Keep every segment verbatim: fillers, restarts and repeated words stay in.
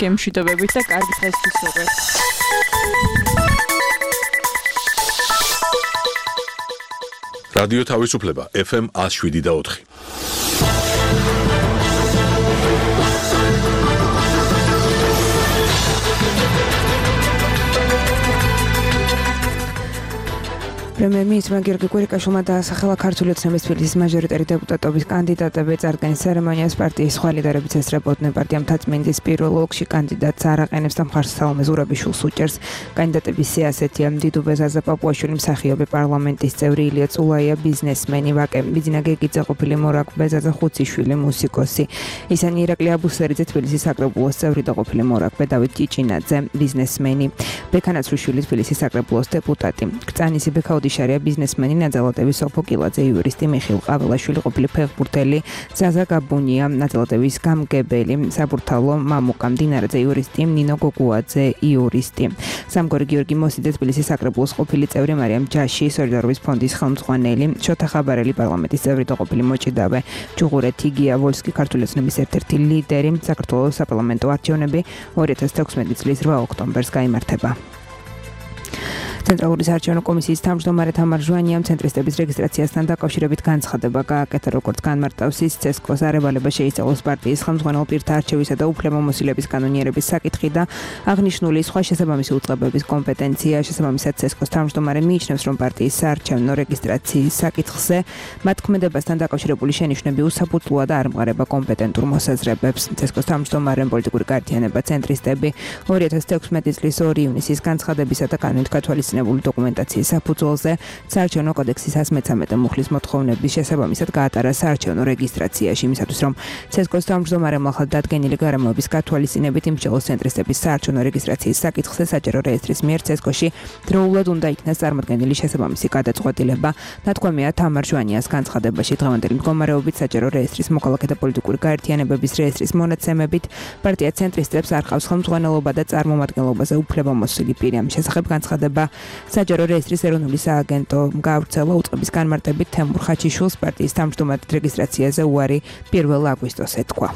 გემშვიდობებით და კარგი დღესთვის ვუღებ. რადიო თავისუფლება ეფ ემ one oh seven და four. პრემიერ-მინისტრმა გიორგი კვირიკაშვილმა დაასახელა ქართული ოცნების თბილისის მაჟორიტარი დეპუტატობის კანდიდატები წარდგენის ცერემონიას პარტიის სხვა ლიდერებიც ესწრებოდნენ. პარტია მთაწმინდის პირველ ოლქში კანდიდატს არ აყენებს და მხარს სალომე ზურაბიშვილს უჭერს. კანდიდატების სია ასეთია: დიდუბე ზაზა პაპუაშვილი, მსახიობი, პარლამენტის წევრი ილია წულაია, ბიზნესმენი, ვაკე ბიძინა გეგიძე, ყოფილი მორაგბე ზაზა ხუციშვილი, მუსიკოსი. ისინი ირაკლი აბუსერიძე, თბილისის საკრებულოს წევრი და ყოფილი მორაგბე, დავით ჭიჭინაძე, ბიზნესმენი, ბექა ნაცრუშვილი, თბილისის საკრებულოს დეპუტატი, კრწანისი ბექაუდი შარია, ბიზნესმენი, ნაძალატების სოფო კილაძე, იურისტი, მიხეილ ყაველაშვილი, ყოფილი ფეხბურთელი, ზაზა გაბუნია, ნაძალატების გამგებელი, საბურთალო მამუკა მდინარეძე, იურისტი, ნინო გოგუაძე, იურისტი, სამგორი გიორგი მოსიძე, თბილისის საკრებულოს ყოფილი წევრი, მარიამ ჯაში, სოლიდარობის ფონდის ხელმძღვანელი, შოთა ხაბარელი, პარლამენტის წევრი და ყოფილი მოჭიდავე, ჯუღურე თიგია ვოლსკი, ქართული ოცნების ერთ-ერთი ლიდერი, საქართველოს საპარლამენტო არჩევნები ორი ათას თექვსმეტი წლის რვა ოქტომბერს გაიმართება. ცენტრალური საარჩევნო კომისიის თავმჯდომარე თამარ ჟვანიამ ცენტრისტების რეგისტრაციასთან დაკავშირებით განცხადება გააკეთა, როგორც განმარტავს ის, ცესკოს არევალება შეისწავლოს პარტიის ხელმძღვანელ პირთა არჩევისა და უფლებამოსილების კანონიერების საკითხი და აღნიშნული სხვა შესაბამისი უწყებების კომპეტენცია. შესაბამისად, ცესკოს თავმჯდომარე მიიჩნევს, რომ პარტიის საარჩევნო რეგისტრაციის საკითხზე მათ ქმედებასთან დაკავშირებული შენიშვნები უსაფუძვლოა და არ მყარება კომპეტენტურ მოსაზრებებს. ცესკოს თავმჯდომარემ პოლიტიკური გაერთიანება ცენტრისტები ორი ათას თექვსმეტი წლის ორი ივნისის განცხადებისა და კანონით გათვალისწინებული დოკუმენტაციის საფუძველზე საარჩევნო კოდექსის one thirty-three მუხლის მოთხოვნების შესაბამისად გაატარა საარჩევნო რეგისტრაციაში, იმისათვის რომ ცესკოს თავმჯდომარემ ახალ დადგენილი გარემოების გათვალისწინებით იმსჯელოს ცენტრისტების საარჩევნო რეგისტრაციის საკითხზე საჯარო რეესტრის მიერ ცესკოში დროულად უნდა იქნას წარმოდგენილი შესაბამისი გადაწყვეტილება. ნათქვამია თამარ ჟვანიას განცხადებაში. დღევანდელი მდგომარეობით საჯარო რეესტრის მოქალაქე და პოლიტიკური გაერთიანებების რეესტრის მონაცემებით პარტია ცენტრისტებს არ ყავს ხელმძღვანელობა და წარმომადგენლობაზე უფლებამოსილი პირი. ამ შესახებ განცხადება საჯარო რეესტრის ეროვნული სააგენტო გაავრცელა უწყების განმარტებით თემურ ხაჩიშვილს პარტიის თავმჯდომარედ რეგისტრაციაზე უარი პირველ აგვისტოს ეთქვა.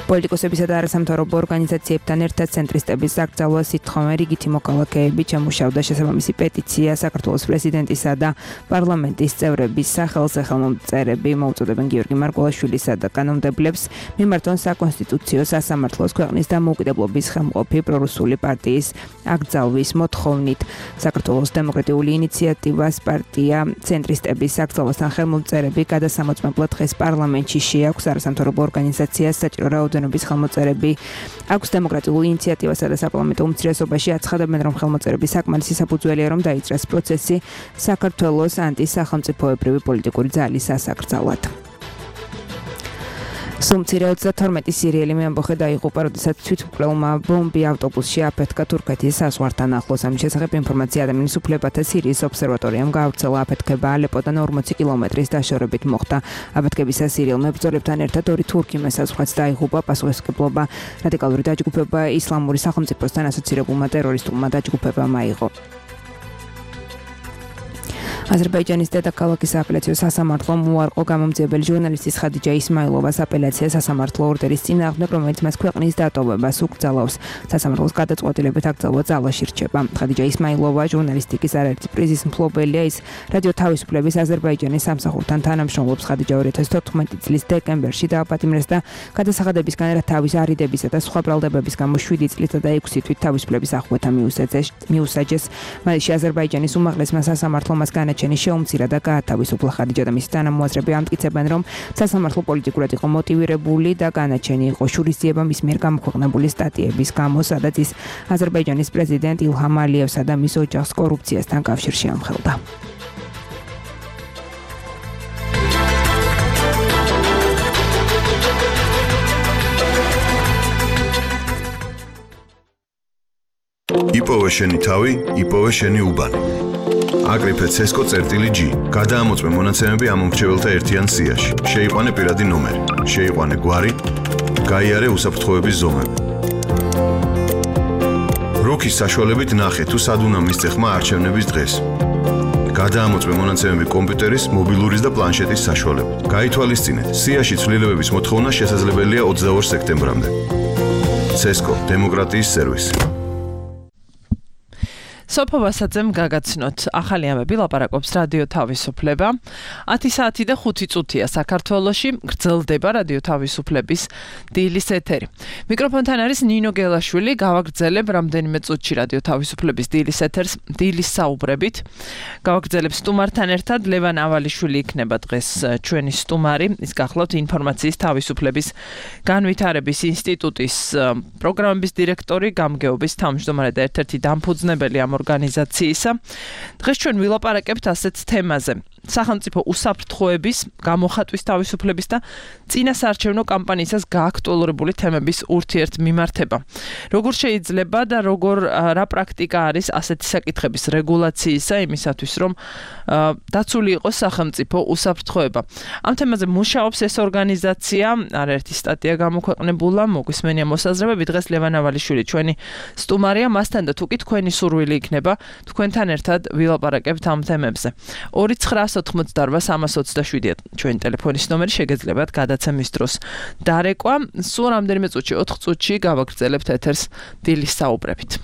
პოლიტიკოსებისა და არასამთავრობო ორგანიზაციებთან ერთად ცენტრისტების დაკრძალვა სითხოვე რიგითი მოქალაქეები შემუშავდა შესაბამისი პეტიცია საქართველოს პრეზიდენტისა და პარლამენტის წევრების სახელზე. ხელმომწერები მოუწოდებენ გიორგი მარგველაშვილისა და კანონმდებლებს მიმართონ საკონსტიტუციო სასამართლოს ქვეყნის დამოუკიდებლობის ხელმყოფი პრორუსული პარტიის აკრძალვის მოთხოვნით. საქართველოს დემოკრატიული ინიციატივას პარტია ცენტრისტების აკრძალვასთან ხელმომწერები გადასამოწმებლად დღეს პარლამენტში შეაქვს. არასამთავრობო ორგანიზაციას საჭირო რაოდენობის ხელმოწერები აქვს. დემოკრატიულ ინიციატივასა და საპარლამენტო უმცირესობაში აცხადებენ, რომ ხელმოწერების საკმარისი საფუძველია, რომ დაიწყეს პროცესი საქართველოს ანტისახელმწიფოებრივი პოლიტიკური ძალის სასაკრძალად. სუმცირე ოცდათორმეტი სირიელი მეამბოხე დაიღუპა, როდესაც თვითმკვლელმა ბომბი ავტობუსში აფეთქა თურქეთის საზღვართან ახლოს. ამის შესახებ ინფორმაცია ადამიანის უფლებათა სირიის ობსერვატორიამ გაავრცელა. აფეთქება ალეპოდან ორმოცი კილომეტრის დაშორებით მოხდა. აფეთქებისას სირიელ მებრძოლებთან ერთად ორი თურქი მესაზღვრაც დაიღუპა. პასუხისმგებლობა რადიკალური დაჯგუფება ისლამური სახელმწიფოსთან ასოცირებულმა ტერორისტულმა დაჯგუფებამ აიღო. აზერბაიჯანის დედაქალაქის სააპელაციო სასამართლომ უარყო გამომძიებელი ჟურნალისტის ხადიჯა ისმაილოვას აპელაცია სასამართლო ორდერის წინააღმდეგ, რომელიც მას ქვეყნის დატოვებას უკრძალავს. სასამართლოს გადაწყვეტილებით აკრძალვა ძალაში რჩება. ხადიჯა ისმაილოვა ჟურნალისტიკის არაერთი პრიზის მფლობელია. ის რადიო თავისუფლების აზერბაიჯანის სამსახურთან თანამშრომლობს. ხადიჯა ორი ათას თოთხმეტი წლის დეკემბერში დააპატიმრეს და გადასახადებისგან რა თავის არიდებისა და სხვა ბრალდებების გამო შვიდი წლით და ექვსი თვით თავისუფლების აღკვეთა მიუსაჯეს. მასში აზერბაიჯანის უმაღლესმა სასამართლომ მას განაჩენი შეუმცირა და გაათავისუფლა. ხადიჯა და მისი თანამოაზრები ამტკიცებენ, რომ სასამართლო პოლიტიკურად იყო მოტივირებული და განაჩენი იყო შურისძიება მის მიერ გამოქვეყნებული სტატიების გამო, სადაც ის აზერბაიჯანის პრეზიდენტ ილჰამ ალიევსა და მის ოჯახს კორუფციასთან კავშირში ამხელდა. იპოვე შენი თავი, იპოვე შენი უბანი. აკრიფე ცესკო წერტილი G. გადაამოწმე მონაცემები ამ მომრჩეველთა ერთიან სიაში. შეიყვანე პირადი ნომერი, შეიყვანე გვარი, გაიარე უსაფრთხოების ზომები. როქის საშუალებით ნახე თუ სად უნდა მისცე ხმა არჩევნების დღეს. გადაამოწმე მონაცემები კომპიუტერის, მობილურის და პლანშეტის საშუალებით. გაითვალისწინეთ, სიაში ცვლილებების მოთხოვნა შესაძლებელია ოცდაორ სექტემბრამდე. ცესკო დემოკრატიის სერვისი. სოფო ვასაძემ გაგაცნოთ. ახალი ამბები ლაპარაკობს რადიო თავისუფლება. ათი საათი და ხუთი წუთია საქართველოში გრძელდება რადიო თავისუფლების დილის ეთერი. მიკროფონთან არის ნინო გელაშვილი. გავაგრძელებ რამდენიმე წუთში რადიო თავისუფლების დილის ეთერს დილის საუბრებით. გავაგრძელებ სტუმართან ერთად ლევან ავალიშვილი იქნება დღეს ჩვენი სტუმარი. ის გახლავთ ინფორმაციის თავისუფლების განვითარების ინსტიტუტის პროგრამების დირექტორი, გამგეობის თავმჯდომარე და ერთ-ერთი დამფუძნებელი ამ ორგანიზაციისა. დღეს ჩვენ ვილაპარაკებთ ასეთ თემაზე. სახელმწიფო უსაფრთხოების, გამოხატვის თავისუფლების და წინასაარჩევნო კამპანიისას გააქტუალურებული თემების ურთიერთმიმართება. როგორ შეიძლება და როგორ რა პრაქტიკა არის ასეთი საკითხების რეგულაციისა იმისათვის, რომ დაცული იყოს სახელმწიფო უსაფრთხოება. ამ თემაზე მუშაობს ეს ორგანიზაცია, არაერთი სტატია გამოქვეყნებულა, მოგვისმენია მოსაზრებები. დღეს ლევან ავალიშვილი ჩვენი სტუმარია, მასთან და თუ კი თქვენი სურვილი იქნება, თქვენთან ერთად ვილაპარაკებთ ამ თემებზე. ორი ცხრა ოთხმოცდაორვა სამას ოცდაშვიდია ჩვენი ტელეფონის ნომერი, შეგეძლებათ გადაცემის დროს დარეკვა. სულ რამდენიმე წუთში, ოთხ წუთში გავაგრძელებთ ეთერს დილის საუბრებით.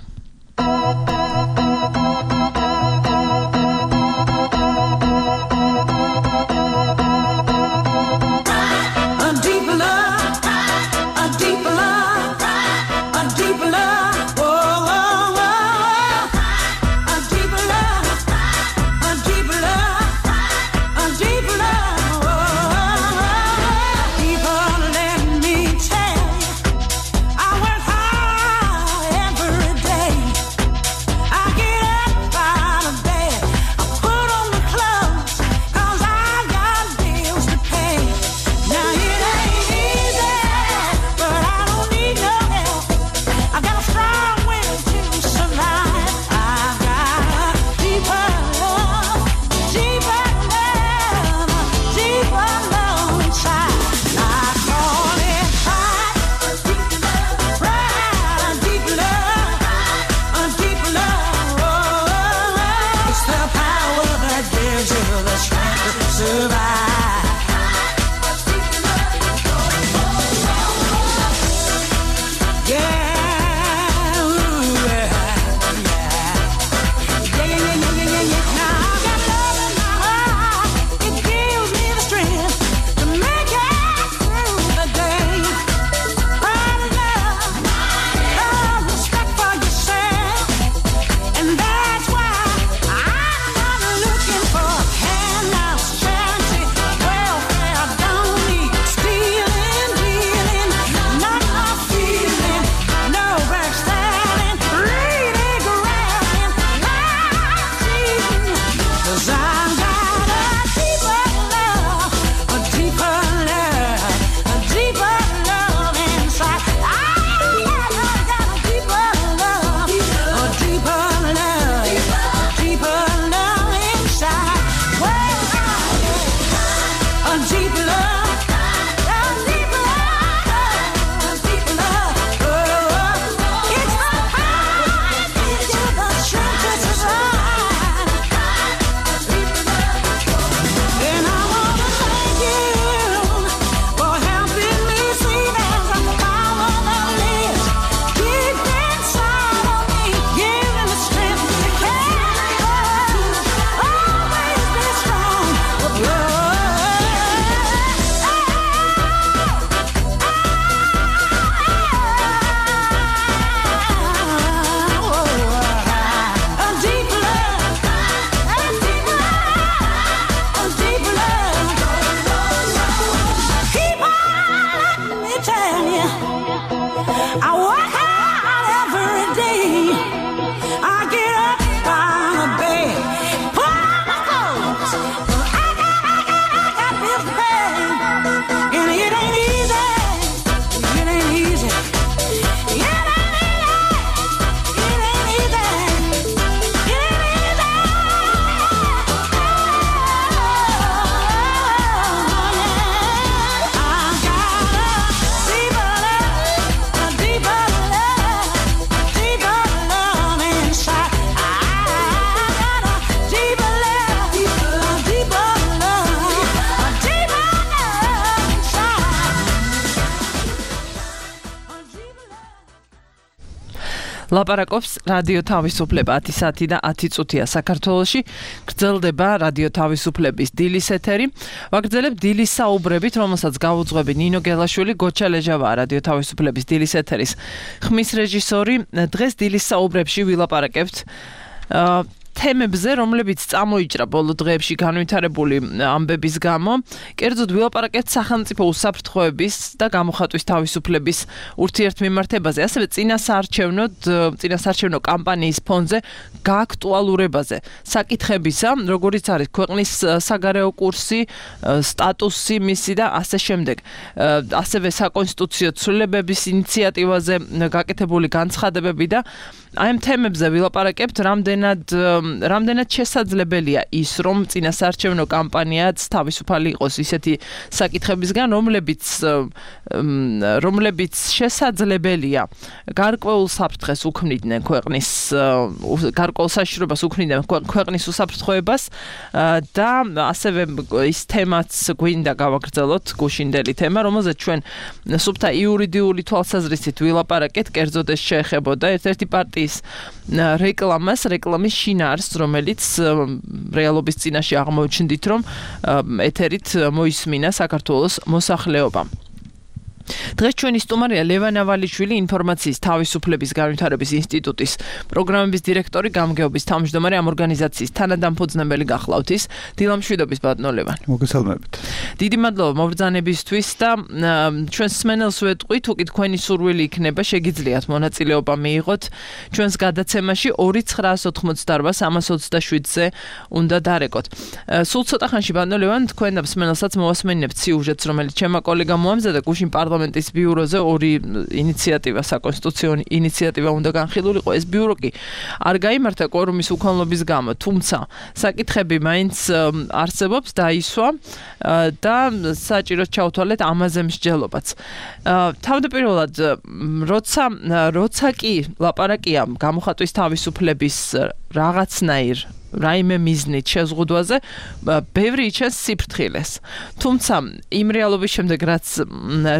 I ლაპარაკობს რადიო თავისუფლება ათი საათი და ათი წუთია საქართველოში. გრძელდება რადიო თავისუფლების დილის ეთერი. ვაგრძელებ დილის საუბრებით, რომელსაც გავუძღვები ნინო გელაშვილი, გოჩა ლეჟავაა რადიო თავისუფლების დილის ეთერის ხმის რეჟისორი. დღეს დილის საუბრებში ვილაპარაკებთ თემებზე, რომლებიც წამოიჭრა ბოლო დღეებში განვითარებული ამბების გამო. კერძოდ ვილაპარაკებთ სახელმწიფო უსაფრთხოების და გამოხატვის თავისუფლების ურთიერთმემართებაზე, ასევე წინასაარჩევნო წინასაარჩევნო კამპანიის ფონზე გააქტუალურებაზე. საკითხებისა, როგორიც არის ქვეყნის საგარეო კურსი, სტატუსი მისი და ასე შემდეგ. ასევე საკონსტიტუციო ცვლილებების ინიციატივაზე გაკეთებული განცხადებები და აი ამ თემებზე ვილაპარაკებთ, რამდენად რამდენად შესაძლებელია ის, რომ წინასაარჩევნო კამპანიაც თავისუფალი იყოს ისეთი საკითხებისგან, რომლებიც რომლებიც შესაძლებელია გარკვეულ საფრთხეს უქმნიდნენ ქვეყნის გარკვეულ საშიშრობას უქმნიდნენ ქვეყნის უსაფრთხოებას და ასევე ის თემაც გვინდა გავაგრძელოთ, გუშინდელი თემა, რომელზეც ჩვენ სუფთა იურიდიული თვალსაზრისით ვილაპარაკეთ, კერძოდ ეს შეეხებოდა ერთ-ერთი პარტიის რეკლამას, რეკლამის შინაარსს, რომელიც რეალობის წინაშე აღმოჩნდით, რომ ეთერით მოისმინა საქართველოს მოსახლეობამ. დღეს ჩვენი სტუმარია ლევან ავალიშვილი, ინფორმაციის თავისუფლების განვითარების ინსტიტუტის პროგრამების დირექტორი, გამგეობის თავმჯდომარე, ამ ორგანიზაციის თანადამფუძნებელი გახლავთ ის. დილამშვიდობის ბატონო ლევან. მოგესალმებით. დიდი მადლობა მობრძანებისთვის და ჩვენს მსმენელს ვეტყვი, თუ კი თქვენი სურვილი იქნება, შეგიძლიათ მონაწილეობა მიიღოთ ჩვენს გადაცემაში ორი ცხრაას ოთხმოცდაორბა სამას ოცდაშვიდზე უნდა დარეკოთ. სულ ცოტა ხანში ბატონო ლევან, თქვენ და მსმენელსაც მოვასმენინებთ სიუჟეტს, რომელიც ჩემმა კოლეგამ მოამზადა გუშინ პარლამენტის ბიუროზე ორი ინიციატივა, საკონსტიტუციო ინიციატივა უნდა განხილულიყო. ეს ბიურო კი არ გაიმართა კვორუმის უქონლობის გამო, თუმცა საკითხები მაინც არსებობს, დაისვა და საჭიროდ ჩავთვალეთ ამაზე მსჯელობაც. თავდაპირველად, როცა როცა კი ლაპარაკია გამოხატვის თავისუფლების რაღაცნაირ რაიმე მიზნით შეზღუდვაზე, ბევრი იჩენს სიფრთხილეს. თუმცა იმ რეალობის შემდეგ, რაც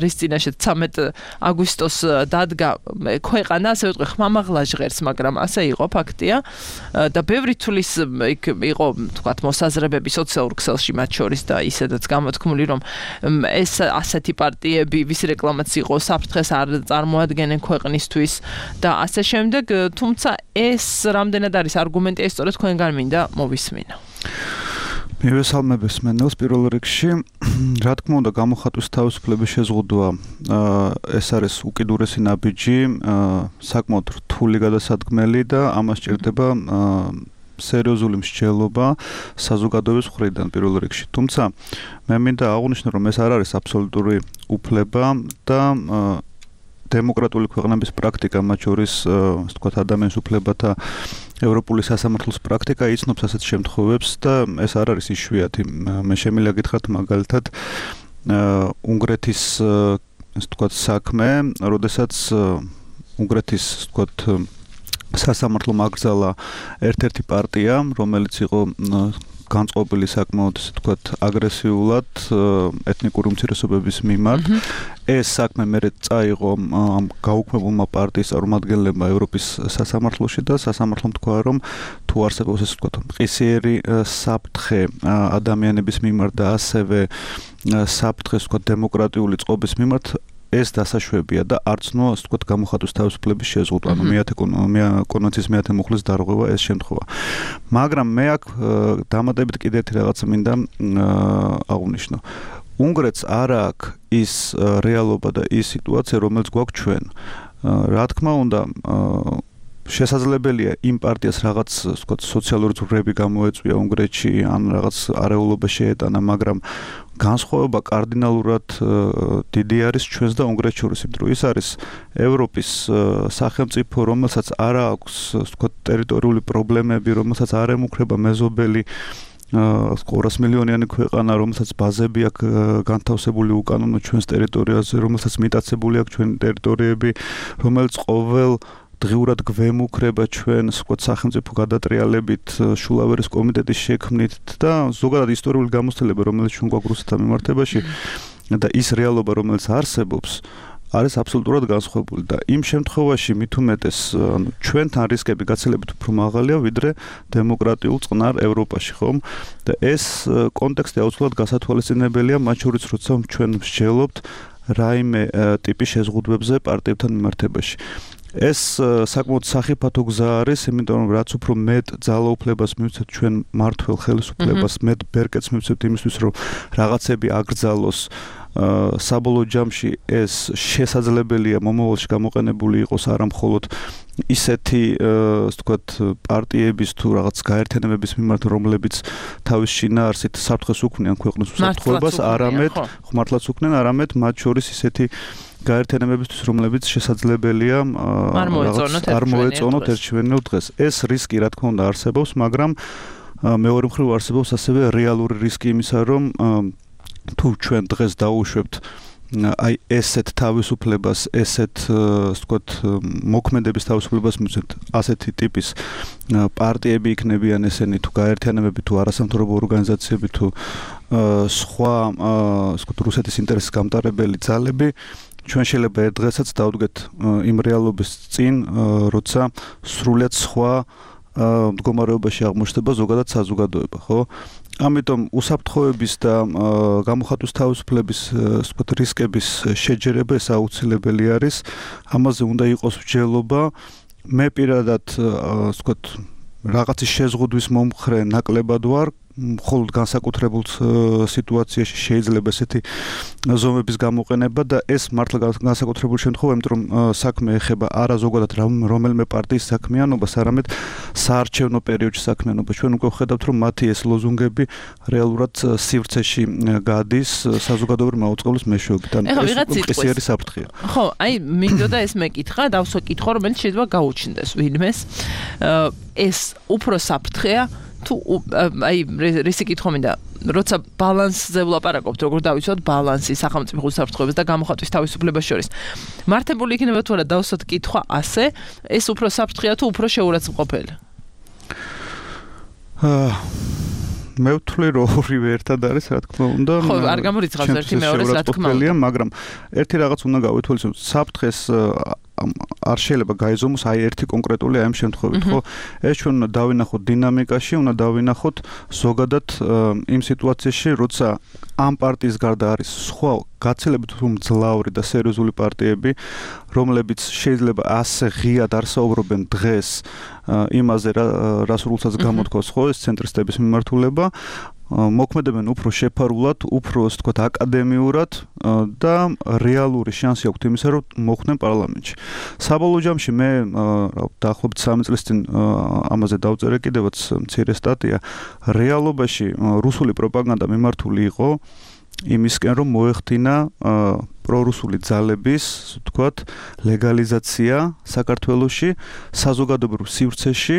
რის წინაშე ცამეტ აგვისტოს დადგა ქვეყანა, ასე ვიტყვი, ხმამაღლა ჟღერს, მაგრამ ასე იყო, ფაქტია და ბევრი თulis იქ იყო, თქვათ, მოსაზრებები სოციალურ ქსელში მათ შორის და ისედაც გამოთქმული, რომ ეს ასეთი პარტიები, ვის რეკლამაც იყო, საფრთხეს არ წარმოადგენენ ქვეყნისთვის და ასე შემდეგ, თუმცა ეს რამდენად არის არგუმენტი, ეს სწორედ თქვენგან მინდა მოვისმინო. მივესალმებს მენელს პირველ რიგში, რა თქმა უნდა, გამოხატვის თავისუფლების შეზღუდვა ეს არის უკიდურესი ნაბიჯი, საკმაოდ რთული გადასადგმელი და ამას სჭირდება სერიოზული მსჯელობა საზოგადოების მხრიდან პირველ რიგში. თუმცა მე მინდა აღვნიშნო, რომ ეს არ არის აბსოლუტური უფლება და დემოკრატიული ქვეყნების პრაქტიკა, მათ შორის, ასე ვთქვათ, ადამიანის უფლებათა ევროპული სასამართლოს პრაქტიკა იცნობს ასეთ შემთხვევებს და ეს არ არის იშვიათი. მე შემიძლია გითხრათ მაგალითად უნგრეთის, ასე ვთქვათ, საქმე, როდესაც უნგრეთის, ასე ვთქვათ, სასამართლომ აკრძალა ერთ-ერთი პარტია, რომელიც იყო განწყობილი საკმაოდ, ასე ვთქვათ, აგრესიულად ეთნიკური უმცირესობების მიმართ. ეს საქმე მერე წაიღო ამ გაუქმებულმა პარტიის წარმომადგენლებმა ევროპის სასამართლოში და სასამართლომ თქვა, რომ თუ არსებობს, ასე ვთქვათ, მყისიერი საფრთხე ადამიანების მიმართ და ასევე საფრთხე, ასე ვთქვათ, დემოკრატიული წყობის მიმართ, ეს დასაშვებია და არც ნუ, ასე ვთქვათ, გამოხატვის თავისუფლების შეზღუდვა, ანუ მეათე კონვენციის მეათე მუხლის დარღვევა ეს შემთხვევა. მაგრამ მე აქ დამატებით კიდევ ერთი რაღაცა მინდა აღვნიშნო. უნგრეთს არ აქვს ის რეალობა და ის სიტუაცია, რომელიც გვაქვს ჩვენ. რა თქმა უნდა, შესაძლებელია იმ პარტიას რაღაც, ვთქვათ, სოციალური ძვრები გამოეწვია უნგრეთში, ან რაღაც არეულობა შეეტანა, მაგრამ განსხვავება კარდინალურად დიდი არის ჩვენს და უნგრეთს შორის, იმიტომ რომ ის არის ევროპის სახელმწიფო, რომელსაც არ აქვს, ვთქვათ, ტერიტორიული პრობლემები, რომელსაც არ ემუქრება მეზობელი ორას მილიონიანი ქვეყანა, რომელსაც ბაზები აქვს განთავსებული უკანონო ჩვენს ტერიტორიაზე, რომელსაც მიტაცებული აქვს ჩვენი ტერიტორიები, რომელიც ყოველ დღიურად გვემუქრება ჩვენ, ვთქვათ, სახელმწიფო გადატრიალებით, შულავერის კომიტეტის შექმნით და ზოგადად ისტორიული გამოცდილება, რომელიც ჩვენ გვაქვს რუსეთთან მიმართებაში და ის რეალობა, რომელიც არსებობს, არის აბსოლუტურად განსხვავებული და იმ შემთხვევაში მით უმეტეს ანუ ჩვენთან რისკები გაცილებით უფრო მაღალია ვიდრე დემოკრატიულ წყნარ ევროპაში, ხომ? და ეს კონტექსტი აუცილებლად გასათვალისწინებელია, მათ შორის როცა ჩვენ მსჯელობთ რაიმე ტიპის შეზღუდვებზე პარტიებთან მიმართებაში. ეს საკმაოდ სახიფათო გზა არის, იმიტომ რომ რაც უფრო მეტ ძალაუფლებას მივცეთ ჩვენ მართლ ხელისუფლებას, მეტ ბერკეტს მივცეთ იმისთვის, რომ რაღაცები აკრძალოს საბოლოო ჯამში ეს შესაძლებელია მომავალში გამოყენებული იყოს არა მხოლოდ ისეთი ასე ვთქვათ პარტიების თუ რაღაც გაერთიანებების მიმართ, რომლებიც თავის შინაარსით საფრთხეს უქმნიან ქვეყნის უსაფრთხოებას, არამედ ხმართლაც უქმნიან, არამედ მათ შორის ისეთი გაერთიანებებისთვის, რომლებიც შესაძლებელია არ მოეწონოთ ერთჩვენილ დღეს. ეს რისკი რა თქმა უნდა არსებობს, მაგრამ მეორე მხრივ არსებობს ასევე რეალური რისკი იმისა, რომ თუ ჩვენ დღეს დაუშვებთ აი ესეთ თავისუფლებას, ესეთ ასე ვთქვათ მოქმედების თავისუფლებას მივცეთ ასეთი ტიპის პარტიები იქნებიან ესენი თუ გაერთიანებები თუ არასამთავრობო ორგანიზაციები თუ სხვა ასე ვთქვათ რუსეთის ინტერესის გამტარებელი ძალები ჩვენ შეიძლება ერთ დღესაც დავდგეთ იმ რეალობის წინ, როცა სრულიად სხვა მდგომარეობაში აღმოჩნდება ზოგადად საზოგადოება, ხო? ამიტომ უსაფრთხოების და გამოხატვის თავისუფლების ასე ვთქვათ რისკების შეჯერება ეს აუცილებელი არის. ამაზე უნდა იყოს მსჯელობა. მე პირადად ასე ვთქვათ რაღაცის შეზღუდვის მომხრე ნაკლებად ვარ. მხოლოდ განსაკუთრებულ სიტუაციაში შეიძლება ესეთი ზომების გამოყენება და ეს მართლა განსაკუთრებული შემთხვევა, იმიტომ რომ საქმე ეხება არა ზოგადად რომელიმე პარტიის საქმიანობას, არამედ საარჩევნო პერიოდში საქმიანობას. ჩვენ უკვე ვხედავთ, რომ მათი ეს ლოზუნგები რეალურად სივრცეში გადის საზოგადოებრივი მაუწყებლის მეშვეობით. ანუ ეს უკეთესი საფრთხეა. ხო, აი მინდოდა ეს მეკითხა, დავსვა კითხვა, რომელიც შეიძლება გაუჩნდეს ვინმეს. ეს უფრო საფრთხეა თუ აი რისი კითხვა მინდა, როცა ბალანსზე ვლაპარაკობთ, როგორ დავიცვათ ბალანსი სახელმწიფო უსაფრთხოების და გამოხატვის თავისუფლებას შორის. მართებული იქნება თუ არა დავსვათ კითხვა ასე, ეს უფრო საფრთხეა თუ უფრო შეურაცხმყოფელი? აა მე ვთვლი რომ ორივე ერთად არის, რა თქმა უნდა. ხო, არ გამორიცხავს ერთი მეორეს, რა თქმა უნდა. მაგრამ ერთი რაღაც უნდა გავითვალისწინოთ, საფრთხეს არ შეიძლება გაიზომოს აი ერთი კონკრეტული აი ამ შემთხვევით, ხო? ეს ჩვენ უნდა დავინახოთ დინამიკაში, უნდა დავინახოთ ზოგადად იმ სიტუაციაში, როცა ამ პარტიის გარდა არის სხვა გაცილებით მძლავრი და სერიოზული პარტიები, რომლებიც შეიძლება ასე ღიად არ საუბრობენ დღეს იმაზე, რა სრულსაც გამოთქვას, ხო, ეს ცენტრისტების მიმართულება, მოქმედებენ უფრო შეფარულად, უფრო ასე ვთქვათ აკადემიურად და რეალური შანსი აქვთ იმისა, რომ მოხვდნენ პარლამენტში. საბოლოო ჯამში მე დაახლოებით სამი წლის წინ ამაზე დავწერე კიდევაც მცირე სტატია. რეალობაში რუსული პროპაგანდა მიმართული იყო იმისკენ, რომ მოეხდინა პრორუსული ძალების, ასე ვთქვათ, ლეგალიზაცია საქართველოში, საზოგადოებრივ სივრცეში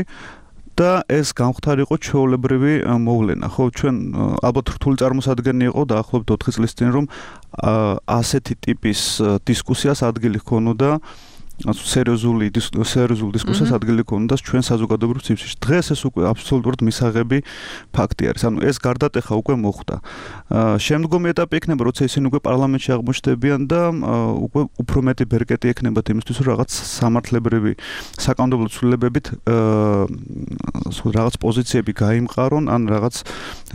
და ეს გამختარიყო ჩვეულებრივი მოვლენა. ხო, ჩვენ ალბათ რთული წარმოსადგენი იყო დაახლოებით ოთხი წლის წინ, რომ ასეთი ტიპის დისკუსიას ადგილი ჰქონოდა, სერიოზული სერიოზული დისკუსიას ადგილი ჰქონდა ჩვენ საზოგადოებრივ სივრცეში. დღეს ეს უკვე აბსოლუტურად მისაღები ფაქტი არის. ანუ ეს გარდატეხა უკვე მოხდა. შემდგომი ეტაპი იქნება, როცა ისინი უკვე პარლამენტში აღმოჩნდებიან და უკვე უფრო მეტი ბერკეტი ექნებათ იმისთვის, რომ რაღაც სამართლებრივი საკანონმდებლო ცვლილებებით რაღაც პოზიციები გაიმყარონ, ან რაღაც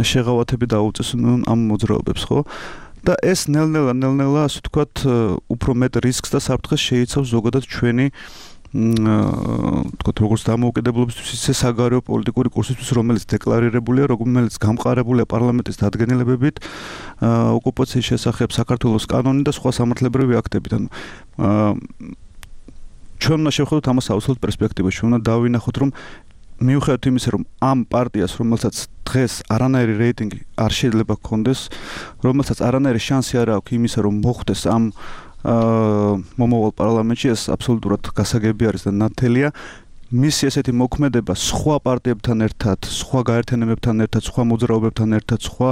შეღავათები დაუწესონ ამ მოძრაობებს, ხო? და ეს ნელ-ნელა ნელ-ნელა ასე ვთქვათ უფრო მეტ რისკს და საფრთხეს შეიცავს ზოგადად ჩვენი ვთქვათ როგორც დამოუკიდებლობისთვის ისე საგარეო პოლიტიკური კურსისთვის, რომელიც დეკლარირებულია, რომელიც გამყარებულია პარლამენტის დადგენილებებით, ოკუპაციის შესახებ საქართველოს კანონი და სხვა სამართლებრივი აქტებით. ანუ ჩვენ უნდა შევხედოთ ამას აუცილებლად პერსპექტივაში, უნდა დავინახოთ, რომ მიუხედავად იმისა, რომ ამ პარტიას, რომელსაც დღეს არანაირი რეიტინგი არ შეიძლება ჰქონდეს, რომელსაც არანაირი შანსი არ აქვს იმისა, რომ მოხვდეს ამ მომავალ პარლამენტში, ეს აბსოლუტურად გასაგები არის და ნათელია. მისი ესეთი მოქმედება სხვა პარტიებთან ერთად, სხვა გაერთიანებებთან ერთად, სხვა მოძრაობებთან ერთად, სხვა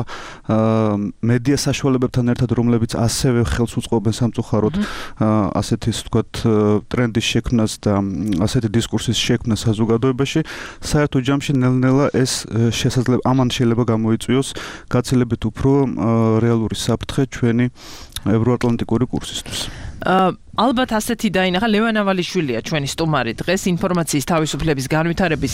მედია საშუალებებთან ერთად, რომლებიც ასევე ხელს უწყობენ სამწუხაროდ ასეთი, ასე ვთქვათ, ტრენდის შექმნას და ასეთი დისკურსის შექმნას საზოგადოებაში, საერთო ჯამში ნელ-ნელა ეს შესაძლებელი ამან შეიძლება გამოიწვიოს გაცილებით უფრო რეალური საფრთხე ჩვენი ევროატლანტიკური კურსისთვის. ალბათ ასეთი დაინახა ლევან ავალიშვილია ჩვენი სტუმარი დღეს ინფორმაციის თავისუფლების განვითარების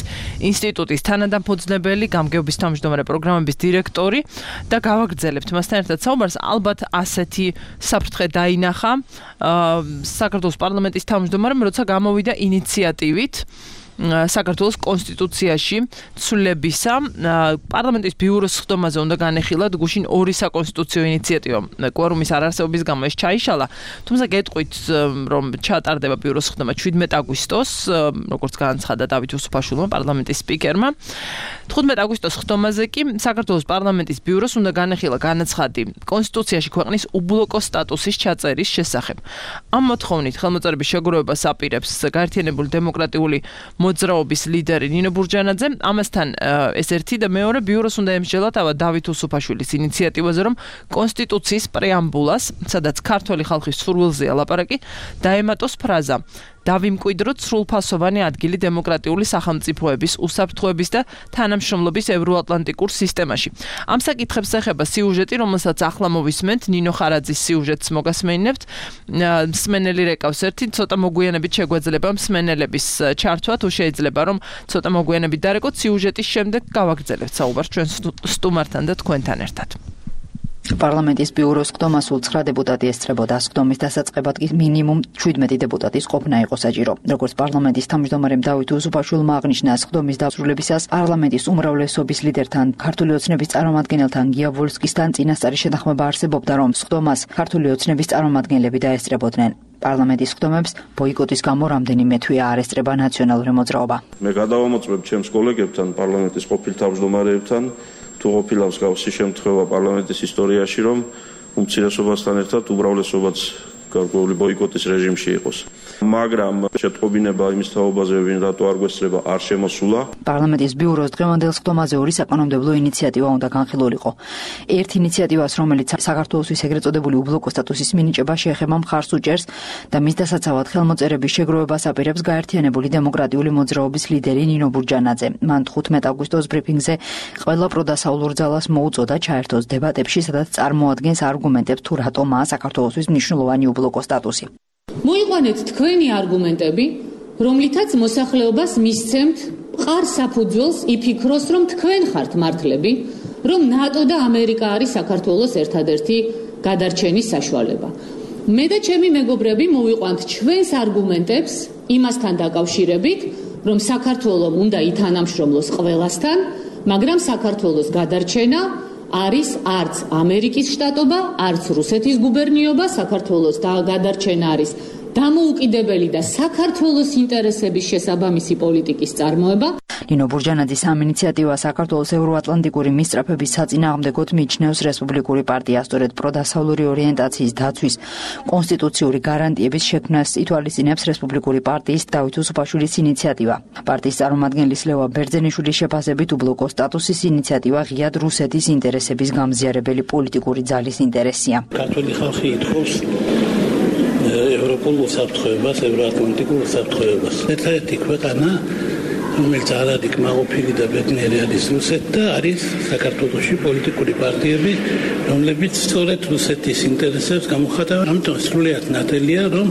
ინსტიტუტის თანადამფუძნებელი, გამგეობის თავმჯდომარე პროგრამების დირექტორი და გავაგრძელებთ მასთან ერთად საუბარს. ალბათ ასეთი საფრთხე დაინახა საქართველოს პარლამენტის თავმჯდომარემ, როცა გამოვიდა ინიციატივით საქართველოს კონსტიტუციაში ცვლილებისა. პარლამენტის ბიუროს სხდომაზე უნდა განეხილათ გუშინ ორი საკონსტიტუციო ინიციატივა. კვორუმის არარსებობის გამო ეს ჩაიშალა. თუმცა გეტყვით, რომ ჩატარდება ბიუროს სხდომა შვიდმეტ აგვისტოს, როგორც განაცხადა დავით უსუფაშვილმა, პარლამენტის სპიკერმა. თხუთმეტ აგვისტოს სხდომაზე კი საქართველოს პარლამენტის ბიუროს უნდა განეხილა განაცხადი კონსტიტუციაში ქვეყნის უბლოკო სტატუსის ჩაწერის შესახებ. ამ მოთხოვნით ხელმოწერების შეგროვებას აპირებს გაერთიანებული დემოკრატიული მოძრაობის ლიდერი ნინო ბურჯანაძე. ამასთან ეს ერთი და მეორე ბიუროს უნდა ემსჯელოთ ავა დავით უსუფაშვილის ინიციატივაზე, რომ კონსტიტუციის პრეამბულას, სადაც ქართველი ხალხის სურვილზეა ლაპარაკი, დაემატოს ფრაზა: დავიმკვიდროთ სრულფასოვანი ადგილი დემოკრატიული სახელმწიფოების, უსაფრთხოების და თანამშრომლობის ევროატლანტიკურ სისტემაში. ამ საკითხებს ეხება სიუჟეტი, რომელსაც ახლა მოვისმენთ, ნინო ხარაძის სიუჟეტს მოგასმენინებთ. მსმენელი რეკავს ერთი, ცოტა მოგვიანებით შეგვეძლება მსმენელების ჩართვა, თუ შეიძლება რომ ცოტა მოგვიანებით დარეკოთ, სიუჟეტის შემდეგ გავაგრძელებთ საუბარს ჩვენ სტუმართან და თქვენთან ერთად. პარლამენტის ბიუროს სხდომა სულ ცხრა დეპუტატი ესწრებოდა. სხდომის დასაწყებად კი მინიმუმ შვიდმეტი დეპუტატის ყოფნა იყო საჭირო. როგორც პარლამენტის თავმჯდომარემ დავით უსუფაშვილმა აღნიშნა, სხდომის დასრულებისას პარლამენტის უმრავლესობის ლიდერთან, ქართული ოცნების წარმომადგენელთან, გია ვოლსკისთან წინასწარი შეთანხმება არსებობდა, რომ სხდომას ქართული ოცნების წარმომადგენლები დაესწრებოდნენ. პარლამენტის სხდომებს ბოიკოტის გამო რამდენიმე თვეა არ ესწრება ნაციონალური მოძრაობა. მე გადავამოწმებ ჩემს კოლეგებთან, პარლამენტის ყოფილ თავმჯდომარეებთან, თუ ყოფილა მსგავსი შემთხვევა პარლამენტის ისტორიაში, რომ უმცირესობასთან ერთად უმრავლესობაც გარკვეული ბოიკოტის რეჟიმში იყოს. მაგრამ შეტყობინება იმის თაობაზე, ვინ რატო არ გვესწრება, არ შემოსულა. პარლამენტის ბიუროს დღევანდელ სხდომაზე ორი საკანონმდებლო ინიციატივა უნდა განხილულიყო. ერთ ინიციატივას, რომელიც საქართველოსთვის ეგრეთ წოდებული უბლოკო სტატუსის მინიჭება შეეხება, მხარს უჭერს და მის დასაცავად ხელმოწერების შეგროვებას აპირებს გაერთიანებული დემოკრატიული მოძრაობის ლიდერი ნინო ბურჯანაძე. მან თხუთმეტ აგვისტოს ბრიფინგზე ყველა პროდასავლურ ძალას მოუწოდა ჩაერთოს დებატებში, სადაც წარმოადგენს არგუმენტებს თუ რატომაა საქართველოსთვის მნიშვნელოვანი უბლოკო სტატუსი. მოიყვანეთ თქვენი არგუმენტები, რომლითაც მოსახლეობას მისცემთ მყარ საფუძველს იფიქროს, რომ თქვენ ხართ მართლები, რომ ნატო და ამერიკა არის საქართველოს ერთადერთი გადარჩენის საშუალება. მე და ჩემი მეგობრები მოვიყვანთ ჩვენს არგუმენტებს იმასთან დაკავშირებით, რომ საქართველოს უნდა ითანამშრომლოს ყველასთან, მაგრამ საქართველოს გადარჩენა არის არც ამერიკის შტატობა, არც რუსეთის გუბერნიობა, საქართველოს გადარჩენა არის დამოუკიდებელი და საქართველოს ინტერესების შესაბამისი პოლიტიკის წარმოება. ნინო ბურჯანაძის ამ ინიციატივა საქართველოს ევროატლანტიკური მისწრაფების საწინააღმდეგოდ მიიჩნევს რესპუბლიკური პარტია, სწორედ პროდასავლური ორიენტაციის დაცვის კონსტიტუციური გარანტიების შექმნას ითვალისწინებს რესპუბლიკური პარტიის დავით უსუფაშვილის ინიციატივა. პარტიის წარმომადგენლის ლევა ბერძენიშვილის შეფასებით უბლოკო სტატუსის ინიციატივა ღიად რუსეთის ინტერესების გამზიარებელი პოლიტიკური ძალის ინტერესია. ქართული ხალხი ითხოვს ევროპულ უსაფრთხოებას, ევროატლანტიკურ უსაფრთხოებას. ერთადერთი ქვეყანა, რომელიც არადი კმაყოფილი და ბედნიერი არის რუსეთი და არის საქართველოში პოლიტიკური პარტიები, რომლებიც სწორედ რუსეთის ინტერესებს გამოხატავენ. ამიტომ სრულიად ნათელია, რომ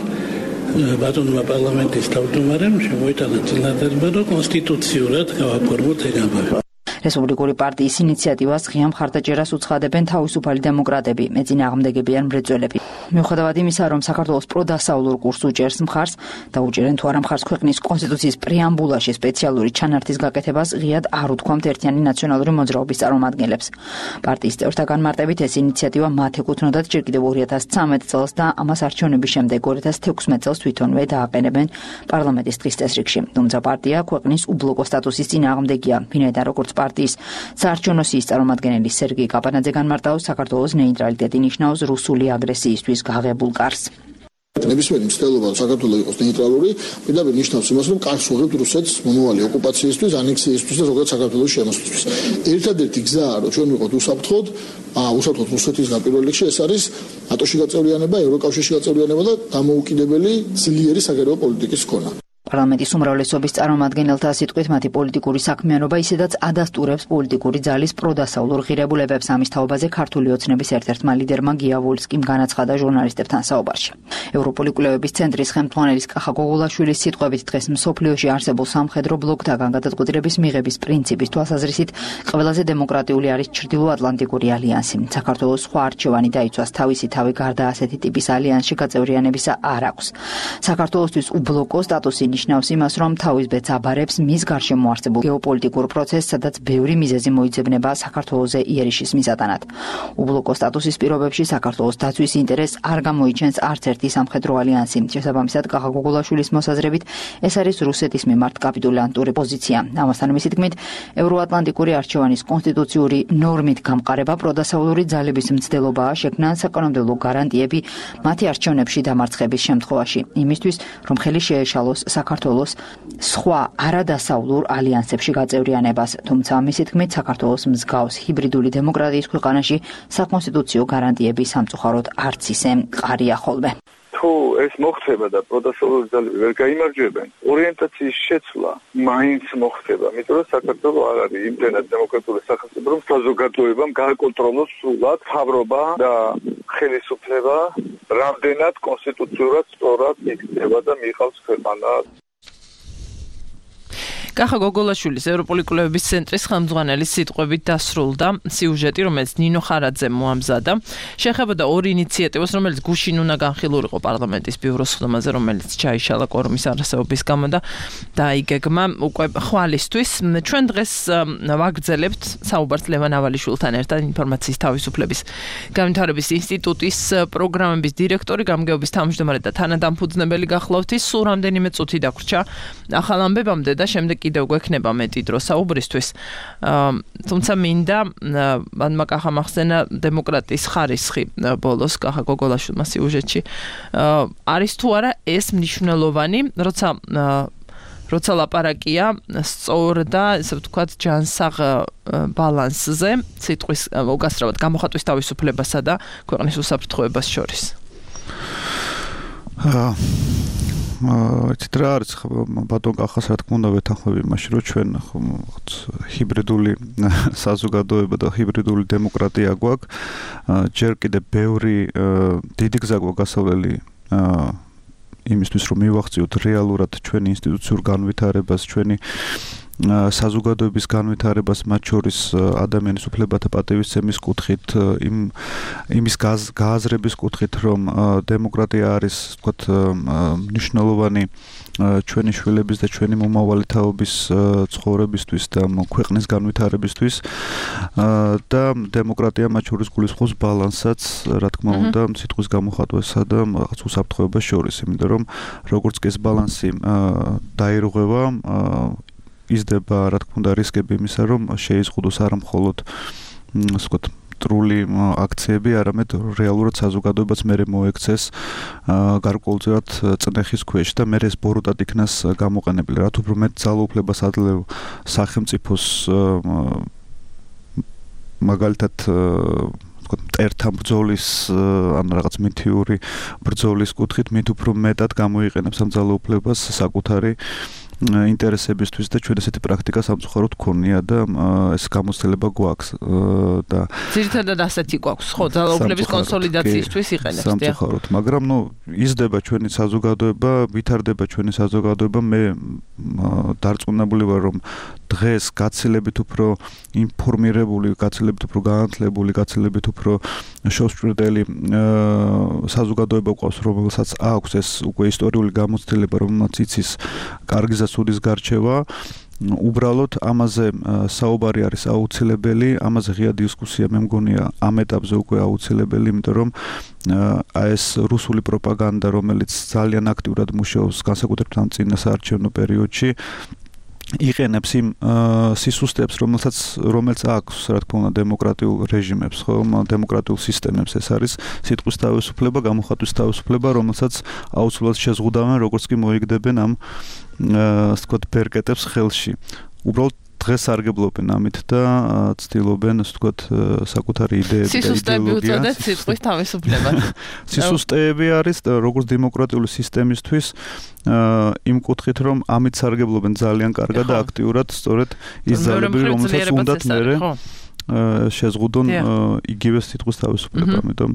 ბატონმა პარლამენტის თავმჯდომარემ შემოიტანა წინადადება, რომ კონსტიტუციურად გავაფორმოთ ეგ ამბავი. რესპუბლიკური პარტიის ინიციატივას ღია მხარდაჭერას უცხადებენ თავისუფალი დემოკრატები, მეწინააღმდეგები ან მრეწველები. მიუხედავად იმისა, რომ საქართველოს პროდასავლურ კურსს უჭერს მხარს და უჭერენ თუ არა მხარს ქვეყნის კონსტიტუციის პრეამბულაში სპეციალური ჩანართის გაკეთებას, ღიად არ უთქვამთ ერთიანი ნაციონალური მოძრაობის წარმომადგენლებს. პარტიის წევრთა განმარტებით ეს ინიციატივა მათ ეკუთვნოდათ ჯერ კიდევ ორი ათას ცხრამეტ წელს და ამას არჩევნების შემდეგ ორი ათას თექვსმეტ წელს თვითონვე დააყენებენ პარლამენტის დღის წესრიგში. თუმცა პარტია ქვეყნის უბლოკო სტატუსის წინააღმდეგია, ვინაიდან როგორც პარტიის საარჩევნო სიის წარმომადგენელი სერგეი კაპანაძე განმარტავს, საქართველოს ნეიტრალიტეტი ნიშნავს რუსული აგრესიისთვის გაღებულ კარს. ნებისმიერი მცდელობა საქართველოს იყოს ნეიტრალური, პირდაპირ ნიშნავს იმას, რომ კარს უღებთ რუსეთს მომავალი ოკუპაციისთვის, ანექსიისთვის და ზოგადად საქართველოს შემოსვლისთვის. ერთადერთი გზაა, რომ ჩვენ ვიყოთ უსაფრთხოდ, უსაფრთხოდ რუსეთისგან პირველ რიგში ეს არის ნატოში გაწევრიანება, ევროკავშირში გაწევრიანება და დამოუკიდებელი ძლიერი საგარეო პოლიტიკის ქონა. პარლამენტის უმრავლესობის წარმომადგენელთა სიტყვით მათი პოლიტიკური საქმიანობა ისედაც ადასტურებს პოლიტიკური ძალის პროდასავლურ ღირებულებებს. ამის თაობაზე ქართული ოცნების ერთ-ერთმა ლიდერმა გია ვოლსკიმ განაცხადა ჟურნალისტებთან საუბარში. ევროპული კვლევების ცენტრის ხელმძღვანელის კახა გოგოლაშვილის სიტყვებით დღეს მსოფლიოში არსებულ სამხედრო ბლოკთაგან გადაწყვეტილების მიღების პრინციპის თვალსაზრისით ყველაზე დემოკრატიული არის ჩრდილოატლანტიკური ალიანსი. საქართველოს სხვა არჩევანი დაიცვას თავისი თავი გარდა ასეთი ტიპის ალიანსში გაწევრიანებისა არ აქვს. საქართველოსთვის უბლოკო სტატუსი ნიშნავს იმას, რომ თავის ბედს აბარებს მის გარშემო არსებულ გეოპოლიტიკურ პროცესს, სადაც ბევრი მიზეზი მოიძებნება საქართველოზე იერიშის მისატანად. უბლოკო სტატუსის პირობებში საქართველოს დაცვის ინტერესს არ გამოიჩენს არც ერთი სამხედრო ალიანსი. შესაბამისად, კახა გოგოლაშვილის მოსაზრებით, ეს არის რუსეთის მიმართ კაპიტულანტური პოზიცია. ამასთან მისი თქმით, ევროატლანტიკური არჩევანის კონსტიტუციური ნორმით გამყარება პროდასავლური ძალების მცდელობაა შექმნან საკანონმდებლო გარანტიები მათი არჩევნებში დამარცხების შემთხვევაში, იმისთვის, რომ ხელი შეეშალოს საქართველოს სხვა არადასავლურ ალიანსებში გაწევრიანებას. თუმცა მისი თქმით, საქართველოს მსგავს ჰიბრიდული დემოკრატიის ქვეყანაში საკონსტიტუციო გარანტიები სამწუხაროდ არც ისე მყარია ხოლმე. თუ ეს მოხდება და პროდასავლური ძალები ვერ გაიმარჯვებენ, ორიენტაციის შეცვლა მაინც მოხდება, იმიტომ რომ საქართველოს არ არის იმდენად დემოკრატიული სახელმწიფო, რომ საზოგადოებამ გააკონტროლოს სრულად მთავრობა და ხელისუფლება, რამდენად კონსტიტუციურად სწორად იქნება და მიიღავს ქვეყანა. კახა გოგოლაშვილის ევროპული კვლევების ცენტრის ხელმძღვანელის სიტყვებით დასრულდა სიუჟეტი, რომელიც ნინო ხარაძემ მოამზადა. შეეხებოდა ორ ინიციატივას, რომელიც გუშინ უნდა განხილულიყო პარლამენტის ბიუროს ხდომაზე, რომელიც ჩაიშალა კორუმის არასაობის გამო და დაიგეგმა უკვე ხვალისთვის. ჩვენ დღეს ვაგრძელებთ საუბარს ლევან ავალიშვილთან ერთად ინფორმაციის თავისუფლების განვითარების ინსტიტუტის პროგრამების დირექტორი, გამგეობის თავმჯდომარე და თანადამფუძნებელი გახლავთ. ის სულ რამდენიმე წუთი დაგვრჩა ახალ ამბებამდე და შემდეგ კიდევ გვექნება მეტი დრო საუბრისთვის. თუმცა მინდა მან კახა მახსენა დემოკრატიის ხარისხი ბოლოს კახა გოგოლაშვილმა სიუჟეტში. არის თუ არა ეს მნიშვნელოვანი, როცა როცა ლაპარაკია სწორ და ესე ვთქვათ ჯანსაღ ბალანსზე სიტყვის უკასრავად გამოხატვის თავისუფლებასა და ქვეყნის უსაფრთხოებას შორის. იცით რა არის ბატონ კახას რა თქმა უნდა ვეთანხმები იმაში, რომ ჩვენ ჰიბრიდული საზოგადოება და ჰიბრიდული დემოკრატია გვაქვს. ჯერ კიდევ ბევრი დიდი გზა გვაქვს გასავლელი იმისთვის, რომ მივახციოთ რეალურად ჩვენი ინსტიტუციურ განვითარებას, ჩვენი საზოგადოების განვითარებას, მათ შორის ადამიანის უფლებათა პატივისცემის კუთხით, იმ იმის გააზრების კუთხით, რომ დემოკრატია არის, ვთქვათ, მნიშვნელოვანი ჩვენი შვილების და ჩვენი მომავალი თაობის ცხოვრებისთვის და ქვეყნის განვითარებისთვის და დემოკრატია მათ შორის გულისხმობს ბალანსაც, რა თქმა უნდა, სიტყვის გამოხატვასა და რაღაც უსაფრთხოებას შორის, იმიტომ რომ როგორც კი ეს ბალანსი დაირღვევა, იზრდება, რა თქმა უნდა, რისკები იმისა, რომ შეიზღუდოს არა მხოლოდ, ასე ვთქვათ, მტრული აქციები, არამედ რეალურად საზოგადოებაც მერე მოექცეს გარკვეულწილად წნეხის ქვეშ და მერე ეს ბოროტად იქნას გამოყენებული. რაც უფრო მეტ ძალაუფლებას ადლევ სახელმწიფოს მაგალითად მტერთა ბრძოლის ან რაღაც მითიური ბრძოლის კუთხით, მით უფრო მეტად გამოიყენებს ამ ძალაუფლებას საკუთარი ინტერესებისთვის და ჩვენ ესეთი პრაქტიკა სამწუხაროდ გქონია და ეს გამოცდილება გვაქვს და ძირითადად ასეთი გვაქვს, ხო, ძალაუფლების კონსოლიდაციისთვის იყენებს, დიახ. სამწუხაროდ, მაგრამ ნუ იზრდება ჩვენი საზოგადოება, ვითარდება ჩვენი საზოგადოება, მე დარწმუნებული ვარ, რომ დღეს გაცილებით უფრო ინფორმირებული, გაცილებით უფრო განათლებული, გაცილებით უფრო შევსჭრდელი საზოგადოება გვყავს, რომელსაც აქვს ეს უკვე ისტორიული გამოცდილება, რომელსაც იცის კარგი სუდის გარჩევა, უბრალოდ ამაზე საუბარი არის აუცილებელი, ამაზე ღია დისკუსია მე მგონია ამ ეტაპზე უკვე აუცილებელი, იმიტომ რომ აი ეს რუსული პროპაგანდა, რომელიც ძალიან აქტიურად მუშაობს განსაკუთრებით ამ წინა საარჩევნო პერიოდში, იყენებს იმ სისუსტეებს, რომელსაც რომელიც აქვს, რა თქმა უნდა, დემოკრატიულ რეჟიმებს, ხო, დემოკრატიულ სისტემებს, ეს არის სიტყვის თავისუფლება, გამოხატვის თავისუფლება, რომელსაც აუცილებლად შეზღუდავენ, როგორც კი მოიგდებენ ამ ასე ვთქვათ, ბერკეტებს ხელში. უბრალოდ დღეს სარგებლობენ ამით და ცდილობენ, ასე ვთქვათ, საკუთარი იდეები და იდეოლოგია. სისუსტეები უწოდეთ სიტყვის თავისუფლებად. სისუსტეები არის როგორც დემოკრატიული სისტემისთვის იმ კუთხით, რომ ამით სარგებლობენ ძალიან კარგად და აქტიურად, სწორედ ის ძალები, რომელსაც უნდათ მერე შეზღუდონ იგივე სიტყვის თავისუფლება, ამიტომ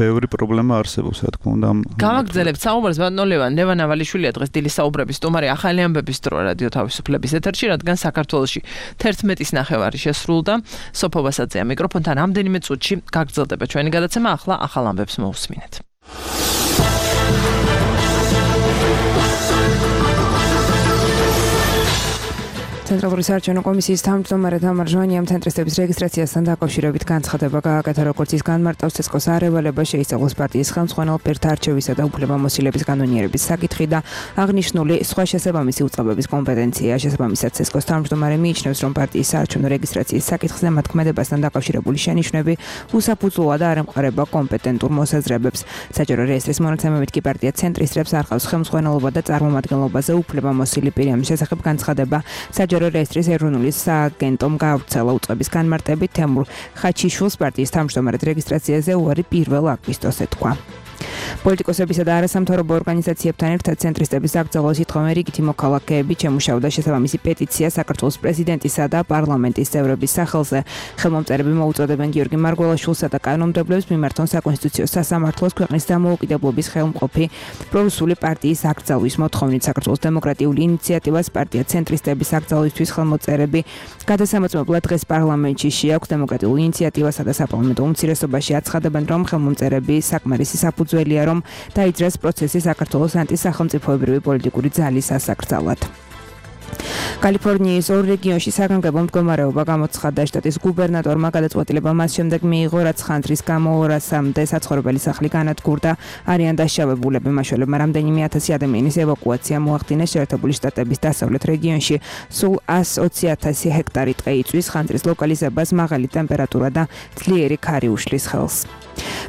ბევრი პრობლემა არსებობს, რა თქმა უნდა. გავაგრძელებთ საუბარს ბატონო ლევან, ლევან ავალიშვილია დღეს დილის საუბრების სტუმარი ახალი ამბების დრო რადიო თავისუფლების ეთერში, რადგან საქართველოში თერთმეტის ნახევარი შესრულდა. სოფო ვასაძეა მიკროფონთან რამდენიმე წუთში გაგრძელდება ჩვენი გადაცემა, ახლა ახალ ამბებს მოусმინეთ. ცენტრალური საარჩევნო კომისიის თავმჯდომარე თამარ ჟვანიამ ცენტრისტების რეგისტრაციასთან დაკავშირებით განცხადება გააკეთა, როგორც ის განმარტავს ცესკოს არევალება შეისწავლოს პარტიის ხელმძღვანელ პირთა არჩევისა და უფლებამოსილების კანონიერების საკითხი და აღნიშნული სხვა შესაბამისი უწყებების კომპეტენცია. შესაბამისად ცესკოს თავმჯდომარე მიიჩნევს, რომ პარტიის საარჩევნო რეგისტრაციის საკითხზე მათ ქმედებასთან დაკავშირებული შენიშვნები უსაფუძვლოა და არ ემყარება კომპეტენტურ მოსაზრებებს. საჯარო რეესტრის მონაცემებით კი პარტია ცენტრისტებს არ ყავს ხელმძღვანელობა და წარმომადგენლობაზე უფლებამოსილი პირი. ამის შესახებ განცხადება საჯარო რეესტრის ეროვნული სააგენტომ გაავრცელა. უწყების განმარტებით თემურ ხაჩიშვილს პარტიის თავმჯდომარედ რეგისტრაციაზე უარი პირველ აგვისტოს ეთქვა. პოლიტიკოსებისა და არასამთავრობო ორგანიზაციებთან ერთად ცენტრისტების აკრძალვა სიტყვამე რიგითი მოქალაქეები ჩემუშავდა შესაბამისი პეტიცია საქართველოს პრეზიდენტისა და პარლამენტის წევრების სახელზე. ხელმომწერები მოუწოდებენ გიორგი მარგველაშვილსა და კანონმდებლებს მიმართონ საკონსტიტუციო სასამართლოს ქვეყნის დამოუკიდებლობის ხელმყოფი პრორუსული პარტიის აკრძალვის მოთხოვნით. საქართველოს დემოკრატიული ინიციატივას პარტია ცენტრისტების აკრძალვისთვის ხელმოწერები გადასამოწმებლად დღეს პარლამენტში შეაქვს. დემოკრატიულ ინიციატივასა და საპარლამენტო უმცირესობაში აცხადებენ, რომ ხელმომწერები საკმარისი საფუძველია, რომ დაიძრას პროცესი საქართველოს ანტისახელმწიფოებრივი პოლიტიკური ძალის ასაკრძალად. კალიფორნიის ორ რეგიონში საგანგებო მდგომარეობა გამოცხადდა. შტატის გუბერნატორმა გადაწყვეტილება მას შემდეგ მიიღო, რაც ხანძრის გამო ორასამდე საცხოვრებელი სახლი განადგურდა. არიან დაშავებულები, მაშველებმა რამდენიმე ათასი ადამიანის ევაკუაცია მოახდინეს. შეერთებული შტატების დასავლეთ რეგიონში სულ ას ოცი ათასი ჰექტარი ტყე იწვის. ხანძრის ლოკალიზებას მაღალი ტემპერატურა და ძლიერი ქარი უშლის ხელს.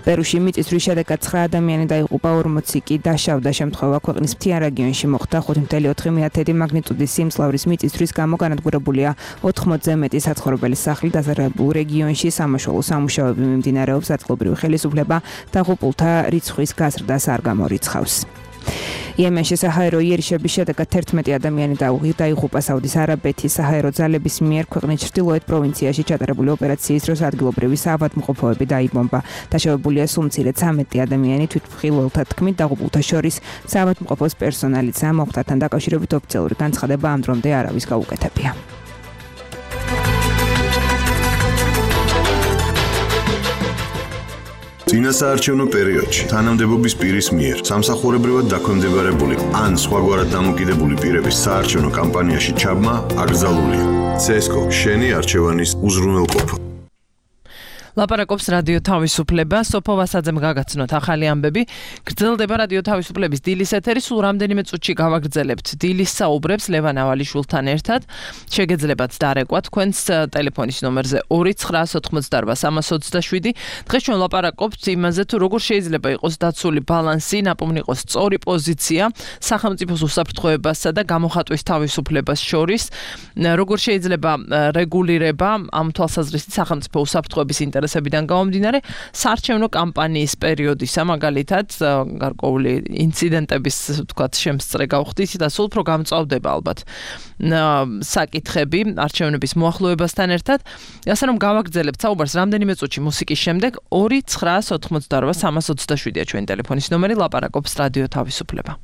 პერუში მიწისძვრის შედეგად ცხრა ადამიანი დაიღუპა, ორმოცი კი დაშავდა. შემთხვევა ქვეყნის მთიან რეგიონში მოხდა. ხუთი კoma ოთხ მეათედი მაგნიტუდის სიმძლავრის მიწისძვრის გამო განადგურებულია ოთხმოცზე მეტი საცხოვრებელი სახლი. დაზარალებულ რეგიონში სამაშველო სამუშაოები მიმდინარეობს. ადგილობრივი ხელისუფლება დაღუპულთა რიცხვის გაზრდას არ გამორიცხავს. იემენში საჰაერო იერიშების შედეგად თერთმეტი ადამიანი დაიღუპა. საუდის არაბეთის საჰაერო ძალების მიერ ქვეყნის ჩრდილოეთ პროვინციაში ჩატარებული ოპერაციის დროს ადგილობრივი საავადმყოფოები დაიბომბა. დაშავებულია სულ მცირე ცამეტი ადამიანი. თვითმხილველთა თქმით, დაღუპულთა შორის საავადმყოფოს პერსონალიცაა. მოხდართან დაკავშირებით ოფიციალური განცხადება ამ დრომდე არავის გაუკეთებია. წინასაარჩევნო პერიოდში თანამდებობის პირის მიერ სამსახურებრივად დაქვემდებარებული ან სხვაგვარად დამოკიდებული პირების საარჩევნო კამპანიაში ჩაბმა აკრძალულია. ცესკო შენი არჩევანის უზრუნველყოფა. ლაპარაკობს რადიო თავისუფლება. სოფო ვასაძემ გაგაცნოთ ახალი ამბები. გრძელდება რადიო თავისუფლების დილის ეთერი. სულ რამდენიმე წუთში გავაგრძელებთ დილის საუბრებს ლევან ავალიშვილთან ერთად. შეგეძლებათ დარეკვა თქვენს ტელეფონის ნომერზე ორი ცხრაასი ოცდაოთხი სამას ოცდაშვიდი. დღეს ჩვენ ლაპარაკობთ იმაზე, თუ როგორ შეიძლება იყოს დაცული ბალანსი, ნაპოვნი იყოს სწორი პოზიცია სახელმწიფოს უსაფრთხოებასა და გამოხატვის თავისუფლებას შორის. როგორ შეიძლება რეგულირება ამ თვალსაზრისით სახელმწიფო უსაფრთხოების ინტერესებიდან გამომდინარე საარჩევნო კამპანიის პერიოდისა, მაგალითად გარკვეული ინციდენტების თქვათ შემსწრე გავხდით და სულ უფრო გამწვავდება ალბათ საკითხები არჩევნების მოახლოებასთან ერთად. ასე რომ გავაგრძელებთ საუბარს რამდენიმე წუთში მუსიკის შემდეგ. ორი ცხრაასი ოცდაოთხი სამას ოცდაშვიდია ჩვენი ტელეფონის ნომერი. ლაპარაკობს რადიო თავისუფლება.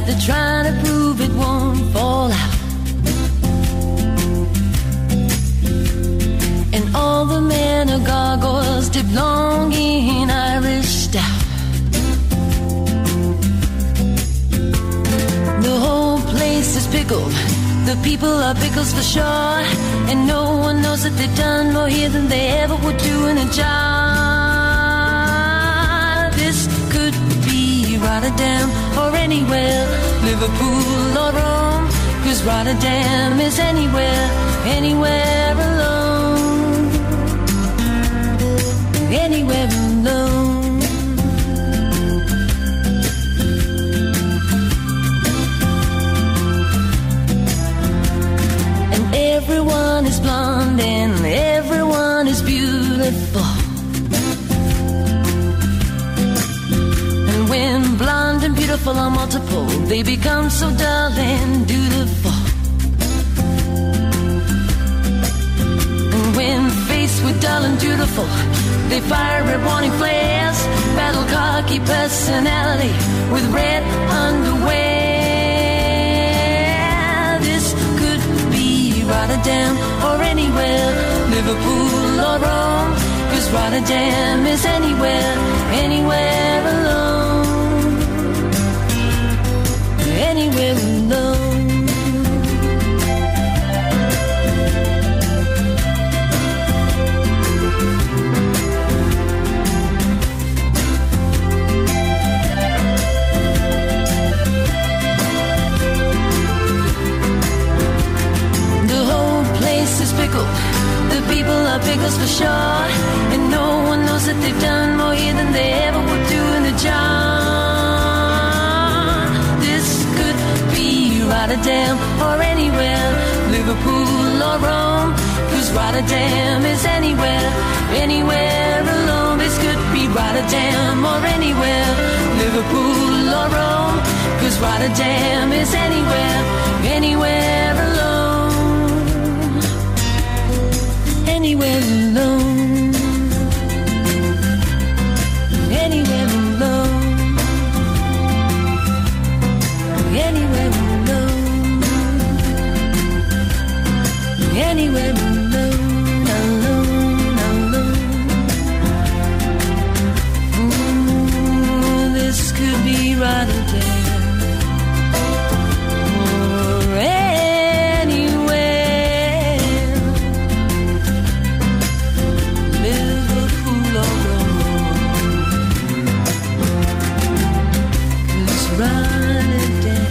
They're trying to prove it won't fall out. And all the men are gargoyles dipped long in Irish stout. The whole place is pickled. The people are pickles for sure. And no one knows that they've done more here than they ever would do in a job. This could be right. Rotterdam or anywhere, Liverpool or Rome, 'cause Rotterdam is anywhere, anywhere alone, anywhere alone. And everyone is blonde and everyone is beautiful. When blonde and beautiful are multiple, they become so dull and dutiful. And when faced with dull and dutiful, they fire red warning flares, battle cocky personality with red underwear. This could be Rotterdam or anywhere, Liverpool or Rome, 'cause Rotterdam is anywhere, anywhere alone. Anywhere alone. The whole place is pickled. The people are pickles for sure, and no one knows that they've done more here than they ever would do in the jar. Rotterdam or anywhere, Liverpool or Rome, 'cause Rotterdam is anywhere, anywhere alone. This could be Rotterdam or anywhere, Liverpool or Rome, 'cause Rotterdam is anywhere, anywhere alone, anywhere alone, anywhere alone, anywhere alone. Anywhere alone, alone, alone. Ooh, this could be Rotterdam or anywhere, Liverpool or Rome, 'cause Rotterdam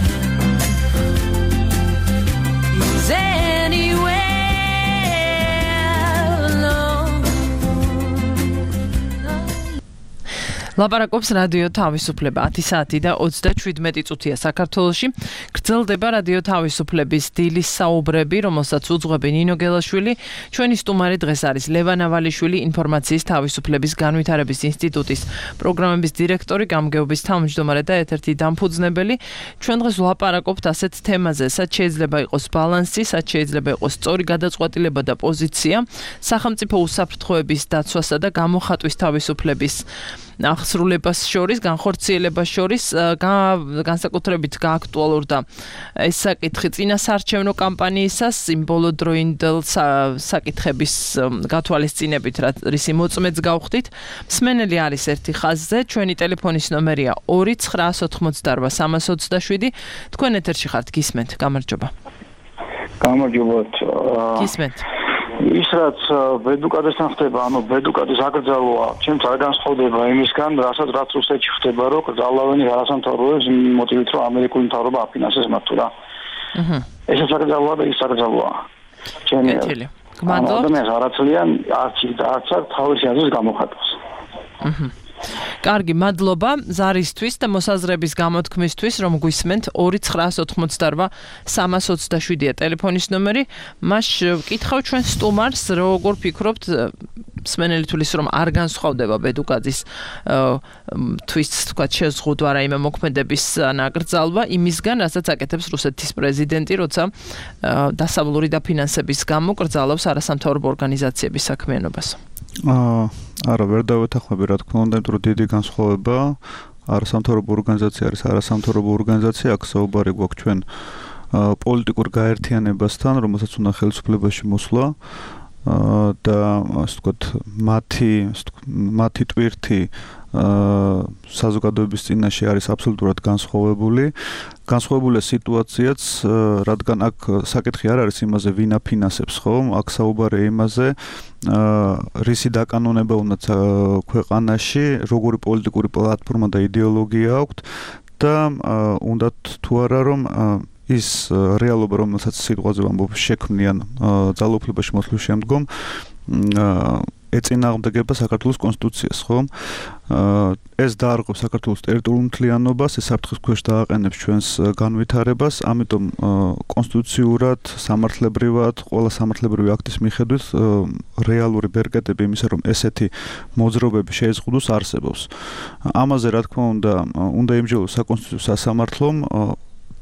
is anywhere. ლაპარაკობს რადიო თავისუფლება. ათი საათი და ოცდაშვიდმეტი წუთია საქართველოში. გრძელდება რადიო თავისუფლების დილის საუბრები, რომელსაც უძღვები ნინო გელაშვილი. ჩვენი სტუმარი დღეს არის ლევან ავალიშვილი, ინფორმაციის თავისუფლების განვითარების ინსტიტუტის პროგრამების დირექტორი, გამგეობის თავმჯდომარე და ერთ-ერთი დამფუძნებელი. ჩვენ დღეს ვლაპარაკობთ ასეთ თემაზე, სად შეიძლება იყოს ბალანსი, სად შეიძლება იყოს სწორი გადაწყვეტილება და პოზიცია სახელმწიფო უსაფრთხოების დაცვასა და გამოხატვის თავისუფლების აღსრულებას შორის, განხორციელებას შორის, განსაკუთრებით გააქტუალურდა ეს საკითხი წინასაარჩევნო კამპანიისას, იმ ბოლოდროინდელ საკითხების გათვალისწინებით, რისი მოწმეც გავხდით. მსმენელი არის ერთი ხაზზე, ჩვენი ტელეფონის ნომერია ორი ცხრაას ოთხმოცდაორვა სამას ოცდაშვიდი. თქვენ ეთერში ხართ, გისმენთ, გამარჯობა. გამარჯობა. გისმენთ. ის რაც ბედუკადესთან ხდება, ანუ ბედუკადის აკრძალვა, ჩემს არ განსხვავდება იმისგან, რასაც რაც რუსეთში ხდება, რომ კრძალავენ არასამთავრობოებს მოტივით, რომ ამერიკული მთავრობა აფინანსებს მათ თუ რა. აჰა. ეს აკრძალვა და ის აკრძალვა. ჩემი გმადლობთ. ადამიანს არ აცლიან არც და არც თავისი აზრის გამოხატვას. აჰა. კარგი, მადლობა ზარისთვის და მოსაზრების გამოთქმისთვის, რომ გვისმენთ. ორი ცხრაას ოთხმოცდაორვა სამას ოცდაშვიდია ტელეფონის ნომერი. მას ვკითხავ ჩვენ სტუმარს, როგორ ფიქრობთ, მსმენელი თulis რომ არ განსხვავდება ბედუკაძის თვის თქვა შეზღუდვა რაიმე მოქმედების ნაკრძალვა იმისგან, რასაც აკეთებს რუსეთის პრეზიდენტი, როცა დასავლური დაფინანსების გამო კრძალავს არასამთავრობო ორგანიზაციების საქმიანობას. აა არა, ვერ დავეთანხმები, რა თქმა უნდა, იმიტომ რომ დიდი განსხვავება. არასამთავრობო ორგანიზაცია არის არასამთავრობო ორგანიზაცია, აქ საუბარი გვაქვს ჩვენ პოლიტიკურ გაერთიანებასთან, რომელსაც უნდა ხელისუფლებაში მოსვლა და ასე ვთქვათ, მათი მათი ტვირთი საზოგადოების წინაშე არის აბსოლუტურად განსხვავებული. განსხვავებულია სიტუაციაც, რადგან აქ საკითხი არ არის იმაზე, ვინ აფინანსებს, ხო? აქ საუბარია იმაზე, რისი დაკანონება უნდა ქვეყანაში, როგორი პოლიტიკური პლატფორმა და იდეოლოგია აქვთ და უნდათ თუ არა რომ ის რეალობა, რომელსაც სიტყვაზე ვამბობ, შექმნიან ძალაუფლებაში მოსვლის შემდგომ ეწინააღმდეგება საქართველოს კონსტიტუციას, ხო? ეს დაარღვევს საქართველოს ტერიტორიულ მთლიანობას, ეს საფრთხის ქვეშ დააყენებს ჩვენს განვითარებას, ამიტომ კონსტიტუციურად, სამართლებრივად, ყველა სამართლებრივი აქტის მიხედვით რეალური ბერკეტები იმისა, რომ ესეთი მოძრაობები შეეზღუდოს არსებობს. ამაზე, რა თქმა უნდა, უნდა იმჯეროს საკონსტიტუციო სასამართლომ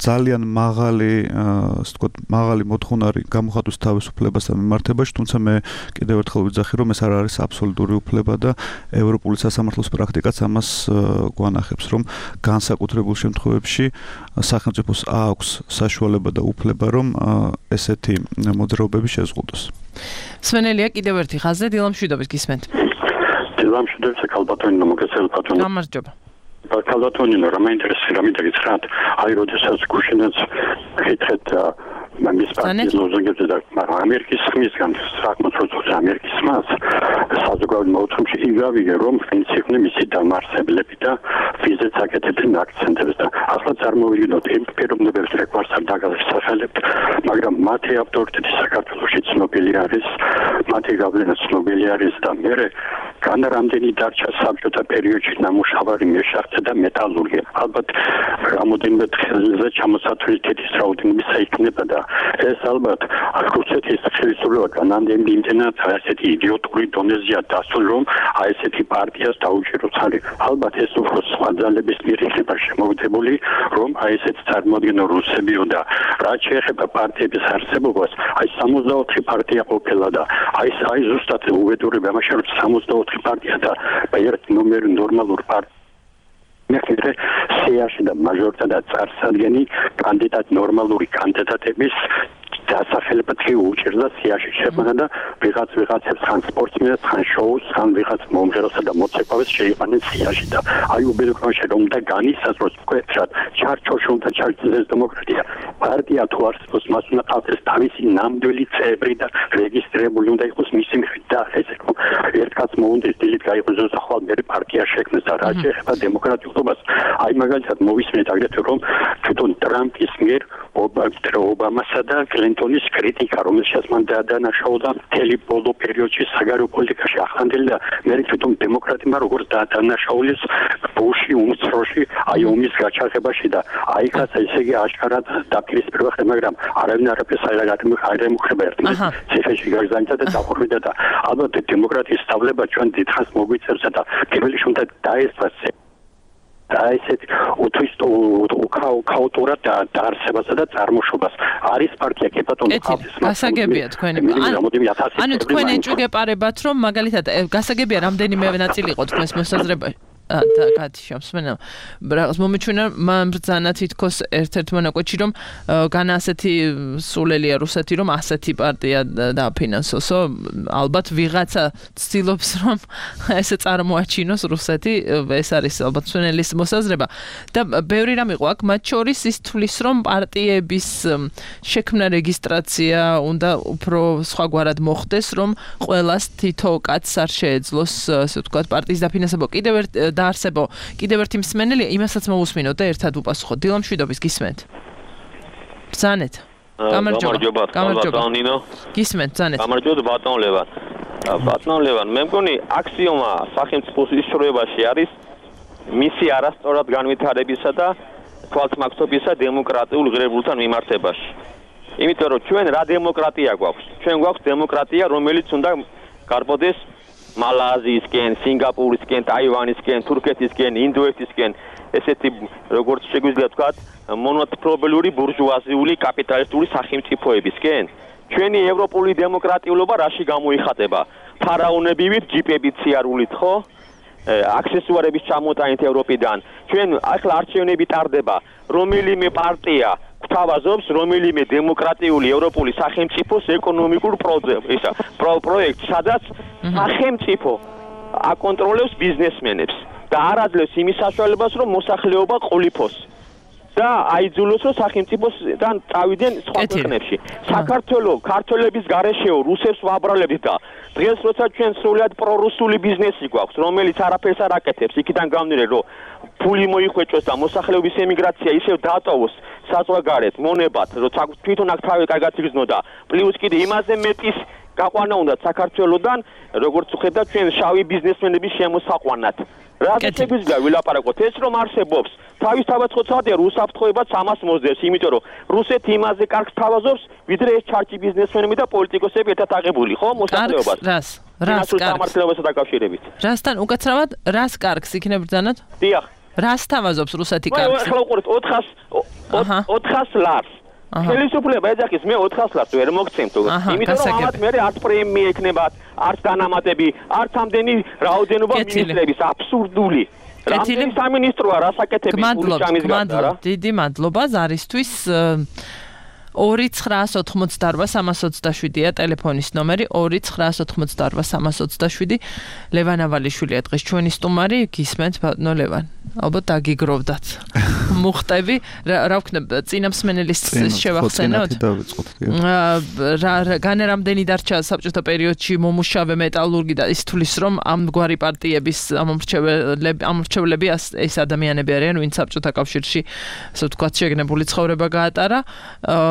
ძალიან მაღალი, ასე ვთქვათ, მაღალი მოთხოვნარი გამოხატვის თავისუფლებასთან მიმართებაში, თუმცა მე კიდევ ერთხელ ვიძახი, რომ ეს არ არის აბსოლუტური უფლება და ევროპული სასამართლოს პრაქტიკაც ამას გვანახებს, რომ განსაკუთრებულ შემთხვევებში სახელმწიფოს აქვს საშუალება და უფლება, რომ ესეთი მოძრაობები შეზღუდოს. სვენელია კიდევ ერთი ხაზზე დილამშვიდობის გისმენთ. დილამშვიდობის ქალბატონი მოგესალმებით. გამარჯობა. ქალბატონი რა მაინტერესებს რა მინდა გითხრათ აი როდესაც გუშინაც გითხრათ მის პარტიის ლოზუნგებზე და ამერიკის ხმისგან საკმაოდ როცა ამერიკის ხმას საზოგადოებრივ მოთხოვნებში იგავიგე რომ ვინც იყვნენ მისი დამარსებლები და ვიზეთ აკეთებდნენ აქცენტებს და ახლა წარმოვიდგინოთ იმ პიროვნებებს რეკვარს არ დაგასახელებთ მაგრამ მათი ავტორიტეტი საქართველოში ცნობილი არის მათი გავლენა ცნობილი არის და მე კან რამდენი დარჩა საბჭოთა პერიოდში ნამუშევარი მეშახტე და მეტალურგია ალბათ რამოდენიმე დღეზე ჩამოსათვლითის რაოდენობა იქნება და ეს ალბათ რუსეთის ხელისუფლება განამდენი იმდენად ასეთი იდიოტური დონეზეა დასული რომ აი ესეთი პარტიას დაუჭიროს ხარი ალბათ ეს უფრო სხვა ძალების მიერ იქნება შემოვიდებული რომ აი ესეთი წარმოადგენო რუსებიო და რაც შეეხება პარტიების არსებობას აი სამოცდაოთხი პარტია ყოფილა და აი აი ზუსტად უვედურება ამაში რომ სამოცდაოთხი პარტია და ერთ ნომერი ნორმალურ პარტია მეხუთე სიაში და მაჟორიტეტა წარსადგენი კანდიდატ ნორმალური კანდიდატების დასახელებად უჭირდა სიაში შეყვანა და ვიღაც ვიღაცებს ხან სპორტსმენებს ხან შოუს ხან ვიღაც მომღერალსა და მოცეკვავეს შეიყვანენ სიაში და აი უბედურებაში რომ და განისაზღვროს მკვეთრად ჩარჩოში უნდა ჩარჩეს დემოკრატია პარტია თუ არსებობს მას უნდა ყავდეს თავისი ნამდვილი წევრი და რეგისტრირებული უნდა იყოს მისი მიხედვით და ესე რომ ერთ კაც მოუნდეს დილით გაიღვიძოს და ხვალ მე პარტია შექმნეს და რა შეეხება დემოკრატიულობას აი მაგალითად მოვისმენთ აგრეთვე რომ თვითონ ტრამპის მიერ ობამასა და კლინტონის კრიტიკა რომელშიც მან დაადანაშაულა მთელი ბოლო პერიოდში საგარეო პოლიტიკაში ახლანდელი და მე თვითონ დემოკრატებმა როგორც დაადანაშაულეს ბუში უმცროსი აი ომის გაჩაღებაში და აი ხაც ესე იგი აშკარად დაპირისპირება ხდება მაგრამ არავინ არაფერს არ ემუქრება ერთმანეთს ციხეში გაგზავნიდა და დაყურვიდა და ალბათ დემოკრატიის სწავლება ჩვენ დიდხანს მოგვიწევს და პირველი უნდა დაესწრას და ესეთ უთვისტო ქაოტურად დაარსებასა და წარმოშობას არის პარტია კეპატონი ყავს გასაგებია თქვენი ანუ თქვენ ეჭვგეპარებათ რომ მაგალითად გასაგებია რამდენიმე ნაწილი იყო თქვენს მოსაზრებაში და გათიშობს მენა რაღაც მომეჩვენა მბრძანა თითქოს ერთ-ერთ მონაკვეთში რომ განა ასეთი სულელია რუსეთი რომ ასეთი პარტია დააფინანსოსო ალბათ ვიღაცა ცდილობს რომ ესე წარმოაჩინოს რუსეთი ეს არის ალბათ სვენელის მოსაზრება და ბევრი რამ იყო აქ მათ შორის ის თვლის რომ პარტიების შექმნა რეგისტრაცია უნდა უფრო სხვაგვარად მოხდეს რომ ყველას თითო კაცს არ შეეძლოს ასე ვთქვათ პარტიის დაფინანსება კიდევ ერთ დაარსებო კიდევ ერთი მსმენელი იმასაც მოусმინოთ და ერთად უპასუხოთ დილამშვიდობის გისმენთ ბრძანეთ გამარჯობა გამარჯობა ნინო გისმენთ ბრძანეთ გამარჯობა ბატონ ლევან ბატონ ლევან მე მგონი აქსიომა სახელმწიფოს ისროებაში არის მისი არასწორად განვითარებისა და თვალსმაგცობისა დემოკრატიულ ღირებულებთან მიმართებაში იმიტომ რომ ჩვენ რა დემოკრატია გვაქვს ჩვენ გვაქვს დემოკრატია რომელიც უნდა გარბოდეს მალაზიისკენ, სინგაპურისკენ, ტაივანისკენ, თურქეთისკენ, ინდოეთისკენ, ესეთი როგორც შეგვიძლია ვთქვათ, მონოპოლიური ბურჟუაზიული კაპიტალისტური სახელმწიფოებისკენ. ჩვენი ევროპული დემოკრატიულობა რაში გამოიხატება? ფარაონებივით, ჯიპებით სიარულით, ხო? აქსესუარების ჩამოტანით ევროპიდან. ჩვენ ახლა არჩევნები ტარდება, რომელიმე პარტია გვთავაზობს რომელიმე დემოკრატიული ევროპული სახელმწიფოს ეკონომიკურ პროექტს, სადაც სახელმწიფო აკონტროლებს ბიზნესმენებს. და არ აძლევს იმის საშუალებას, რომ მოსახლეობა ყოლიფოს და აიძულოს, რომ სახელმწიფოსთან წავიდნენ სხვა ქვეყნებში. საქართველოს ქართველების გარეშეო რუსებს ვაბრალებით და დღეს როცა ჩვენ სრულად პრორუსული ბიზნესი გვაქვს, რომელიც არაფერს არ აკეთებს, იქიდან გამდინარე, რომ ფული მოიხვეჭოს და მოსახლეობის ემიგრაცია ისევ დატოვოს საზღვარგარეთ, მონებად, როცა თვითონ აქ თავი კარგად იგრძნო და პლუს კიდე იმაზე მეტის გაყვანა უნდა საქართველოსთან, როგორც ხედავთ ჩვენ შავი ბიზნესმენების შემოსაყვანად. რადგან შეგვიძლია ვილაპარაკოთ ეს რომ არსებობს თავისთავად ხოცავდია რუსაფრთხოებაც ამას მოსდევს, იმიტომ რომ რუსეთი იმაზე კარგს თავაზობს, ვიდრე ეს ჩარჩი ბიზნესმენები და პოლიტიკოსები ერთად აღებული, ხო, მოსახლეობას. რას? რას კარგს? სამართლებასთან დაკავშირებით. რასთან უკაცრავად რას კარგს იქნებ ბრძანოთ? დიახ. რას თავაზობს რუსეთი კარგს? ახლა უყურეთ ოთხას ლარს. ხელისუფლება ეძახის მე ოთხას ლარს ვერ მოგცემთ, იმიტომ რომ ამათ მე არც პრემია ექნებათ, არც დანამატები, არც ამდენი რაოდენობა მინისტრების აბსურდული. რამდენი სამინისტროა რასაკეთებს ფულის ჩამის გარდა რა? დიდი მადლობა ზარისთვის. ორი ცხრაას ოთხმოცდაორვა სამას ოცდაშვიდია ტელეფონის ნომერი ორი ცხრაას ოთხმოცდაორვა სამას ოცდაშვიდი. ლევან ავალიშვილია დღეს ჩვენი სტუმარი, გისმენთ ბატონო ლევან. ალბათ დაგიგროვდათ. მუხტები, რა ვქნებ, წინამსმენელის შევახსენოთ. განა რამდენი დარჩა საბჭოთა პერიოდში მომუშავე მეტალურგი და ის თulis რომ ამგვარი პარტიების ამომრჩევლები ამომრჩევლები ეს ადამიანები არიან, ვინც საბჭოთა კავშირში, ასე ვთქვათ, შეგნებული ცხოვრება გაატარა.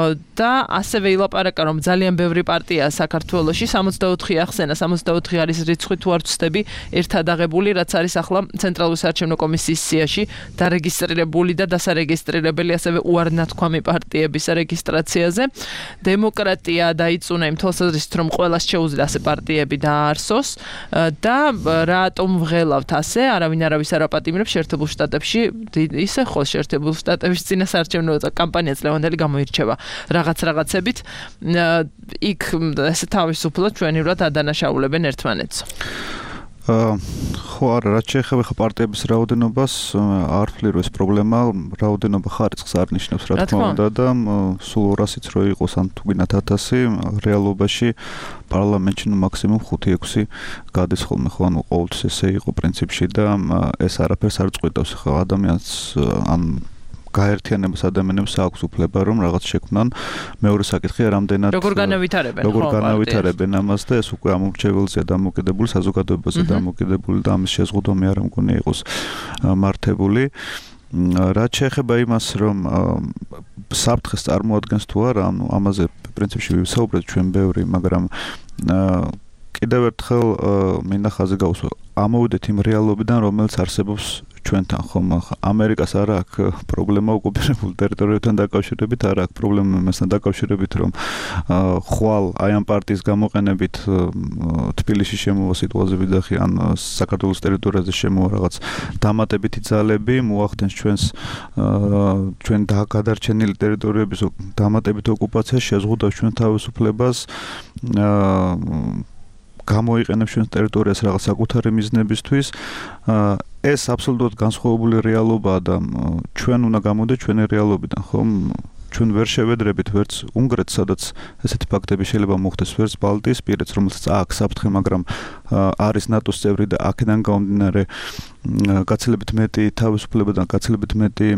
და ასევე ილაპარაკა რომ ძალიან ბევრი პარტია საქართველოში სამოცდაოთხი ახსენა სამოცდაოთხი არის რიცხვი თუ არ ვცდები ერთად აღებული რაც არის ახლა ცენტრალური საარჩევნო კომისიის სიაში დარეგისტრირებული და დასარეგისტრირებელი ასევე უარნათქვამი პარტიების რეგისტრაციაზე დემოკრატია დაიწუნა იმ თვალსაზრისით რომ ყველას შეუძლია ასე პარტიები დაარსოს და რატომ ვღელავთ ასე არავინ არავის არ აპატიმრებს შეერთებულ შტატებში ისე ხო შეერთებულ შტატებში წინა საარჩევნო კამპანიაც ლევანდელი გამოირჩევა რაღაც რაღაცებით იქ ესე თავისუფლად ჩვენივრად ადანაშაულებენ ერთმანეთს. ხო არა, რაც შეეხება ხა პარტიების რაოდენობას, არ ვფლირო ეს პრობლემა, რაოდენობა ხარისხს არ ნიშნავს რა თქმა უნდა და სულ ორასიც რო იყოს ან თუ გინდათ ათასი, რეალობაში პარლამენტში ნუ მაქსიმუმ ხუთი ექვსი გადის ხოლმე ხო, ანუ ყოველთვის ესე იყო პრინციპში და ეს არაფერს არ წყვეტავს ხა ადამიანს ან გაერთიანებას ადამიანებს აქვს უფლება რომ რაღაც შექმნან. მეორე საკითხია რამდენად როგორ განავითარებენ როგორ განავითარებენ ამას და ეს უკვე ამორჩეველზეა დამოკიდებული, საზოგადოებაზე დამოკიდებული და ამის შეზღუდვა მე არ მგონია იყოს მართებული. რაც შეეხება იმას რომ საფრთხეს წარმოადგენს თუ არა, ანუ ამაზე პრინციპში ვისაუბრეთ ჩვენ ბევრი, მაგრამ კიდევ ერთხელ მინდა ხაზი გავუსვა. ამოვიდეთ იმ რეალობიდან, რომელიც არსებობს ჩვენთან ხომ ამერიკას არ აქვს პრობლემა ოკუპირებულ ტერიტორიებთან დაკავშირებით, არ აქვს პრობლემა მასთან დაკავშირებით, რომ ხვალ აი ამ პარტიის გამოყენებით თბილისში შემოვა სიტუაციები და ან საქართველოს ტერიტორიაზე შემოვა რაღაც დამატებითი ძალები, მოახდენს ჩვენს ჩვენ გადარჩენილი ტერიტორიების დამატებით ოკუპაცია, შეზღუდავს ჩვენ თავისუფლებას გამოიყენებს ჩვენს ტერიტორიას რაღაც საკუთარი მიზნებისთვის. ეს აბსოლუტურად განსხვავებული რეალობაა და ჩვენ უნდა გამოდეთ ჩვენი რეალობიდან, ხომ? ჩვენ ვერ შევედრებით ვერც უნგრეთს, სადაც ესეთი ფაქტები შეიძლება მოხდეს, ვერც ბალტიისპირეთს, რომელსაც აქვს საფრთხე, მაგრამ არის ნატოს წევრი და აქედან გამომდინარე გაცილებით მეტი თავისუფლება და გაცილებით მეტი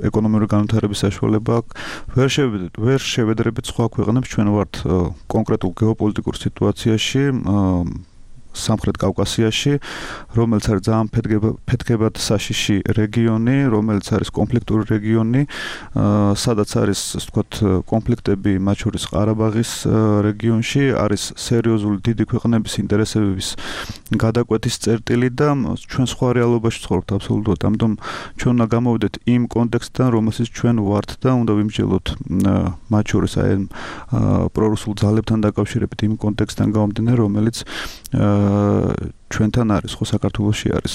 ეკონომიკური განვითარების საშუალება აქვს. ვერ შევედრებით, ვერ შევედრებით სხვა ქვეყნებს, ჩვენ ვართ კონკრეტულ გეოპოლიტიკურ სიტუაციაში სამხრეთ კავკასიაში, რომელიც არის ძალიან ფეთქებად საშიში რეგიონი, რომელიც არის კონფლიქტური რეგიონი, სადაც არის, ასე ვთქვათ, კონფლიქტები მათ შორის ყარაბაღის რეგიონში, არის სერიოზული დიდი ქვეყნების ინტერესების გადაკვეთის წერტილი და ჩვენ სხვა რეალობაში ცხოვრობთ აბსოლუტურად. ამიტომ ჩვენ უნდა გამოვიდეთ იმ კონტექსტიდან, რომელსაც ჩვენ ვართ და უნდა ვიმსჯელოთ მათ შორის აი პრორუსულ ძალებთან დაკავშირებით იმ კონტექსტიდან გამომდინარე, რომელიც ჩვენთან არის, ხო საქართველოში არის.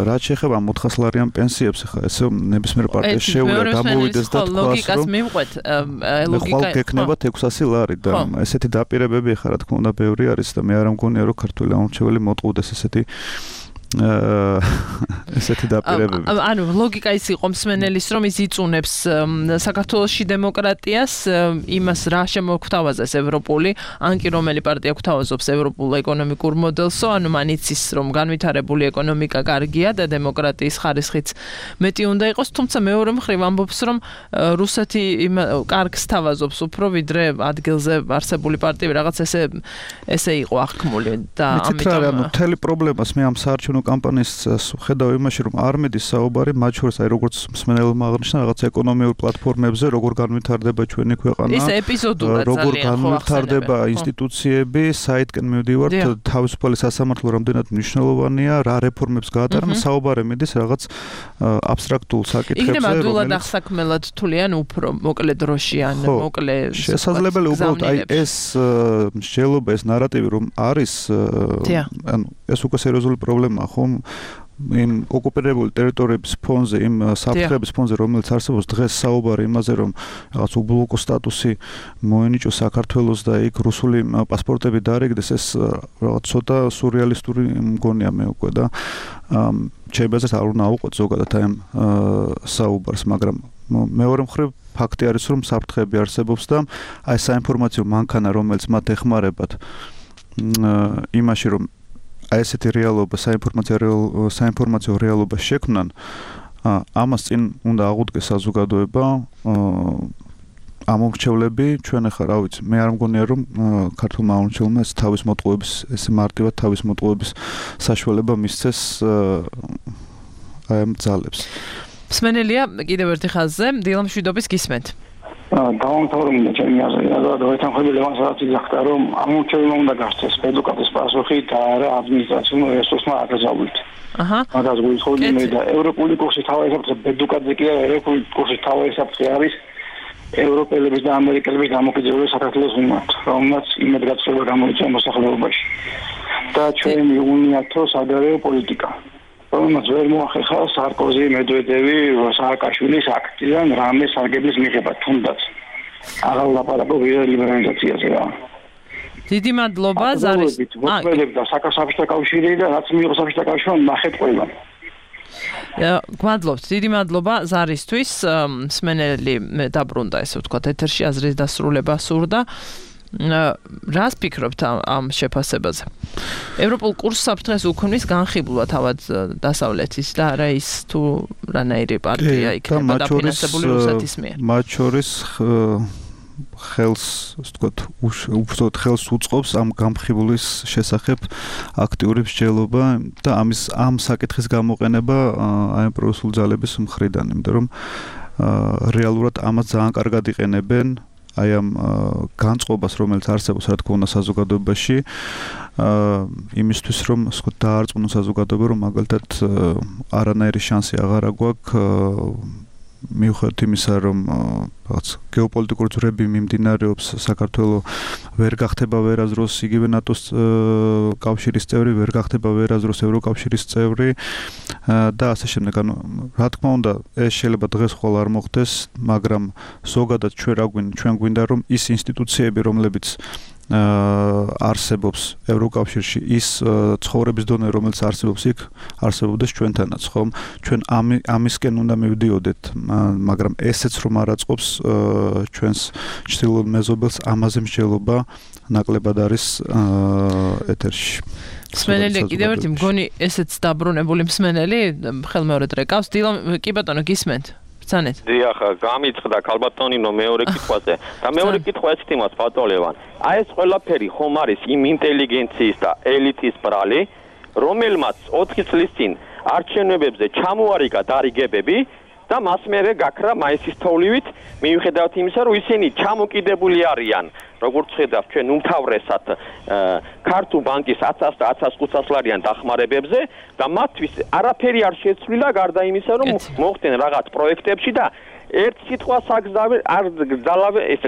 რაც შეეხება მოთხასლარიან პენსიებს, ხა ესე ნებისმიერ პარტიას შეუძლია გამოვიდეს და თქვას, რომ ლოგიკას მივყვეთ, ლოგიკა გექნებათ ექვსასი ლარი და ესეთი დაპირებები ხა რა თქმა უნდა ბევრი არის და მე არ მგონია რომ ქართული ამორჩეველი მოტყუდეს ესეთი ესეთი დაპირებები. ანუ ლოგიკა ის იყო მსმენელის, რომ ის იწუნებს საქართველოში დემოკრატიას, იმას რა შემოგვთავაზეს ევროპული, ან კი რომელი პარტია გვთავაზობს ევროპულ ეკონომიკურ მოდელსო, ანუ მან იცის, რომ განვითარებული ეკონომიკა კარგია და დემოკრატიის ხარისხიც მეტი უნდა იყოს, თუმცა მეორე მხრივ ამბობს, რომ რუსეთი კარგს თავაზობს უფრო ვიდრე ადგილზე არსებული პარტიები, რაღაც ესე ესე იყო აღქმული და ამიტომ ანუ მთელი პრობლემას მე ამ საარჩევნო კამპანიის ხედავ იმაში, რომ არ მიდის საუბარი მათ შორის, აი როგორც მსმენელმა აღნიშნა, რაღაც ეკონომიურ პლატფორმებზე, როგორ განვითარდება ჩვენი ქვეყანა, ის ეპიზოდურად როგორ განვითარდება ინსტიტუციები, საითკენ მივდივართ, თავისუფალი სასამართლო რამდენად მნიშვნელოვანია, რა რეფორმებს გაატარებენ, საუბარი მიდის რაღაც აბსტრაქტულ საკითხებზე, იქნება ადვილად აღსაქმელად თვლიან უფრო მოკლე დროში ან მოკლე შესაძლებელი უბრალოდ აი ეს მსჯელობა, ეს ნარატივი რომ არის, ანუ ეს უკვე სერიოზული პრობლემაა, ხომ? იმ ოკუპირებული ტერიტორიების ფონზე, იმ საფრთხების ფონზე, რომელიც არსებობს დღეს საუბარი იმაზე, რომ რაღაც უბლოკო სტატუსი მოენიჭოს საქართველოს და იქ რუსული პასპორტები დაარიგდეს, ეს რაღაც ცოტა სურეალისტური მგონია მე უკვე და შეიძლება არ უნდა აუყოთ ზოგადად აი ამ საუბარს, მაგრამ მეორე მხრივ ფაქტი არის, რომ საფრთხები არსებობს და აი საინფორმაციო მანქანა, რომელიც მათ ეხმარებათ იმაში, რომ აი ესეთი რეალობა, საინფორმაციო საინფორმაციო რეალობა შექმნან, ამას წინ უნდა აღუდგეს საზოგადოება, ამომრჩევლები, ჩვენ ახლა რა ვიცი, მე არ მგონია რომ ქართულმა ამომრჩევლმა ეს თავის მოტყუების, ესე მარტივად თავის მოტყუების საშუალება მისცეს აი ამ ძალებს. მსმენელია კიდევ ერთი ხაზზე, დილამ შვიდობის გისმენთ. დავამთავრებია ჩემი აზრი, და დაეთანხმები ლევან სარაძეძახდა, რომ ამომრჩევლმა უნდა გასცეს პედუკატის პასუხი და არა ადმინისტრაციულ რესურსმა აკრძალვით. აჰა. მაგას გულისხმობდი მე და ევროპული კურსი თავი საფრთხე პედუკატზე კი არა, ევროპული კურსი თავი საფრთხე არის ევროპელების და ამერიკელების დამოკიდებულება საქართველოს მიმართ, რომელმაც იმედგაცრუება გამოიწვია მოსახლეობაში. და ჩვენი უნიათო საგარეო პოლიტიკა. რომელმაც ვერ მოახერხა სარკოზი, მედვედევი, სააკაშვილის აქტიდან რამე სარგებლის მიღება, თუნდაც. აღარ ვლაპარაკობ ლიბერალიზაციაზე რა. დიდი მადლობა ზარის. მოწმედებდა საქართველოს კავშირი და რაც მიიღო საქართველოს კავშირმა ნახეთ ყველგან. გვადლობთ, დიდი მადლობა ზარისთვის, მსმენელი დაბრუნდა ესე ვთქვათ ეთერში აზრის დასრულება სურდა. რას ფიქრობთ ამ შეფასებაზე? ევროპულ კურსს საფრთხეს უქმნის განხილვა თავად დასავლეთის და არა ის თუ რანაირი პარტია იქნება დაფინანსებული რუსეთის მიერ. მათ შორის ხელს, ასე ვთქვათ, უბრალოდ ხელს უწყობს ამ განხილვის შესახებ აქტიური მსჯელობა და ამის ამ საკითხის გამოყენება აი პროსულ ძალების მხრიდან, იმიტომ რომ რეალურად ამას ძალიან კარგად იყენებენ აი ამ განწყობას, რომელიც არსებობს, რა თქმა უნდა, საზოგადოებაში, იმისთვის, რომ სხვა დაარწმუნოს საზოგადოება, რომ მაგალითად არანაირი შანსი აღარ აგვაქვს მიუხედავად იმისა, რომ რაღაც გეოპოლიტიკური ძვრები მიმდინარეობს, საქართველოს ვერ გახდება ვერაზროს იგივე ნატოს კავშირის წევრი, ვერ გახდება ვერაზროს ევროკავშირის წევრი და ასე შემდეგ. ანუ რა თქმა უნდა, ეს შეიძლება დღეს ხოლ არ მოხდეს, მაგრამ ზოგადად ჩვენ რა გვინდა, ჩვენ გვინდა რომ ის ინსტიტუციები, რომლებიც არსებობს ევროკავშირში, ის ცხოვრების დონე, რომელიც არსებობს იქ, არსებობდეს ჩვენთანაც, ხომ? ჩვენ ამისკენ უნდა მივდიოდეთ, მაგრამ ესეც რომ არ აწყობს ჩვენს ჩრდილოეთ მეზობელს, ამაზე მსჯელობა ნაკლებად არის ეთერში. მსმენელი კიდევ ერთი მგონი ესეც დაბრუნებული მსმენელი ხელმეორედ რეკავს. დილა კი ბატონო გისმენთ? ბრძანეთ. დიახ, გამიწყდა ქალბატონინო მეორე კითხვაზე. და მეორე კითხვა ესეთი მას ბატონლევან. აი ეს ყველაფერი ხომ არის იმ ინტელიგენციის და ელიტის ბრალი, რომელმაც ოთხი წლის წინ არჩევნებზე ჩამოარიგა დარიგებები და მას მერე გაქრა მაისის თოვლივით, მიუხედავად იმისა, რომ ისინი ჩამოკიდებული არიან, როგორც ხედავთ ჩვენ უმთავრესად ქართულ ბანკის ათას და ათას ხუთას ლარიან დახმარებებზე და მათთვის არაფერი არ შეცვლილა გარდა იმისა, რომ მოხდნენ რაღაც პროექტებში და ერთ სიტყვას აგზავენ არ გძალავენ ეს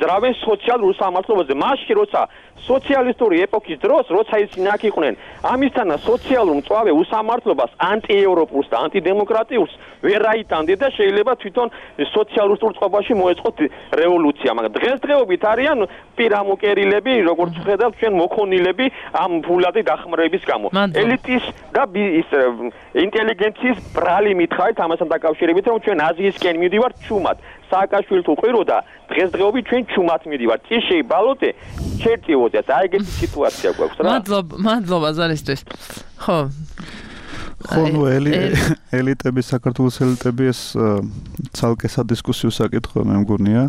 ძრავენ სოციალურ სამართლობაზე მაშინ როცა სოციალისტური ეპოქის დროს როცა ისინი აქ იყვნენ ამისთანა სოციალურ მწვავე უსამართლობას ანტიევროპულს და ანტიდემოკრატიულს ვერ აიტანდნენ და შეიძლება თვითონ სოციალურ წყობაში მოეწყოთ რევოლუცია მაგრამ დღესდღეობით არიან პირამოკერილები როგორც ხედავთ ჩვენ მოქონილები ამ ფულადი დახმარების გამო ელიტის და ის ინტელიგენციის ბრალი მითხარით ამასთან დაკავშირებით რომ ჩვენ აზიისკენ მივდივართ ჩუმად სააკაშვილს უყიროდა დღესდღეობით ჩვენ ჩუმად მივდივართ წიშეი ბალოტე ჩერტიოდეთ აი ეგეთი სიტუაცია გვაქვს რა მადლობა მადლობა ზარისთვის ხო ხო ნუ ელიტები საქართველოს ელიტები ეს ცალკე სადისკუსიო საკითხია მე მგონია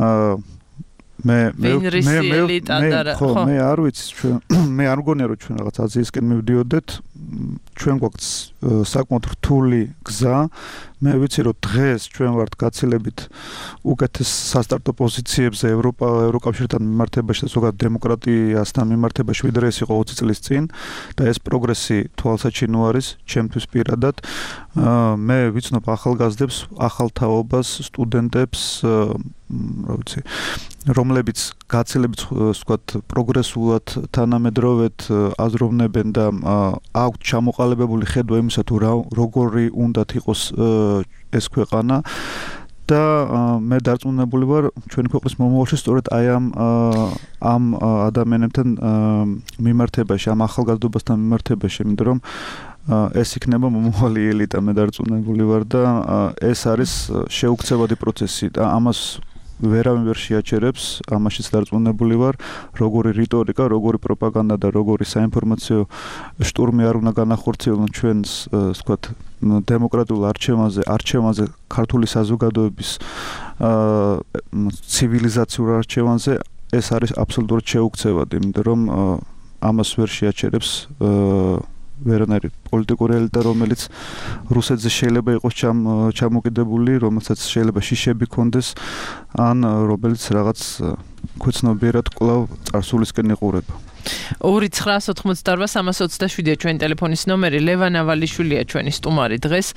აა მე მე მე მე ხო მე არ ვიცი ჩვენ მე არ მგონია რომ ჩვენ რაღაც აზიისკენ მივდიოდეთ ჩვენ გვაქვს საკმაოდ რთული გზა მე ვიცი რომ დღეს ჩვენ ვართ გაცილებით უკეთეს სასტარტო პოზიციებზე ევროპა ევროკავშირთან მიმართებაში და ზოგადად დემოკრატიასთან მიმართებაში ვიდრე ეს იყო ოცი წლის წინ და ეს პროგრესი თვალსაჩინო არის ჩემთვის პირადად მე ვიცნობ ახალგაზრდებს ახალთაობას სტუდენტებს რა ვიცი რომლებიც გაცილებით ვთქვათ პროგრესულად თანამედროვედ აზროვნებენ და აქვთ ჩამოყალიბებული ხედვა იმისა თუ როგორი უნდათ იყოს ეს ქვეყანა და მე დარწმუნებული ვარ ჩვენი ქვეყნის მომავალში სწორედ აი ამ ამ ადამიანებთან მიმართებაში ამ ახალგაზრდობასთან მიმართებაში იმიტომ რომ ეს იქნება მომავალი ელიტა მე დარწმუნებული ვარ და ეს არის შეუქცევადი პროცესი და ამას ვერავინ ვერ შეაჩერებს ამაშიც დარწმუნებული ვარ როგორი რიტორიკა როგორი პროპაგანდა და როგორი საინფორმაციო შტურმი არ უნდა განახორციელონ ჩვენს ვთქვათ დემოკრატიულ არჩევანზე არჩევანზე ქართული საზოგადოების ცივილიზაციურ არჩევანზე ეს არის აბსოლუტურად შეუქცევადი იმიტომ რომ ამას ვერ შეაჩერებს ვერანაირი პოლიტიკური ელიტა რომელიც რუსეთზე შეიძლება იყოს ჩამოკიდებული რომელსაც შეიძლება შიშები ქონდეს ან რომელიც რაღაც ქვეცნობიერად კვლავ წარსულისკენ იყურება ორი ცხრაას ოთხმოცდაორბა სამას ოცდაშვიდია ჩვენი ტელეფონის ნომერი ლევან ავალიშვილია ჩვენი სტუმარი დღეს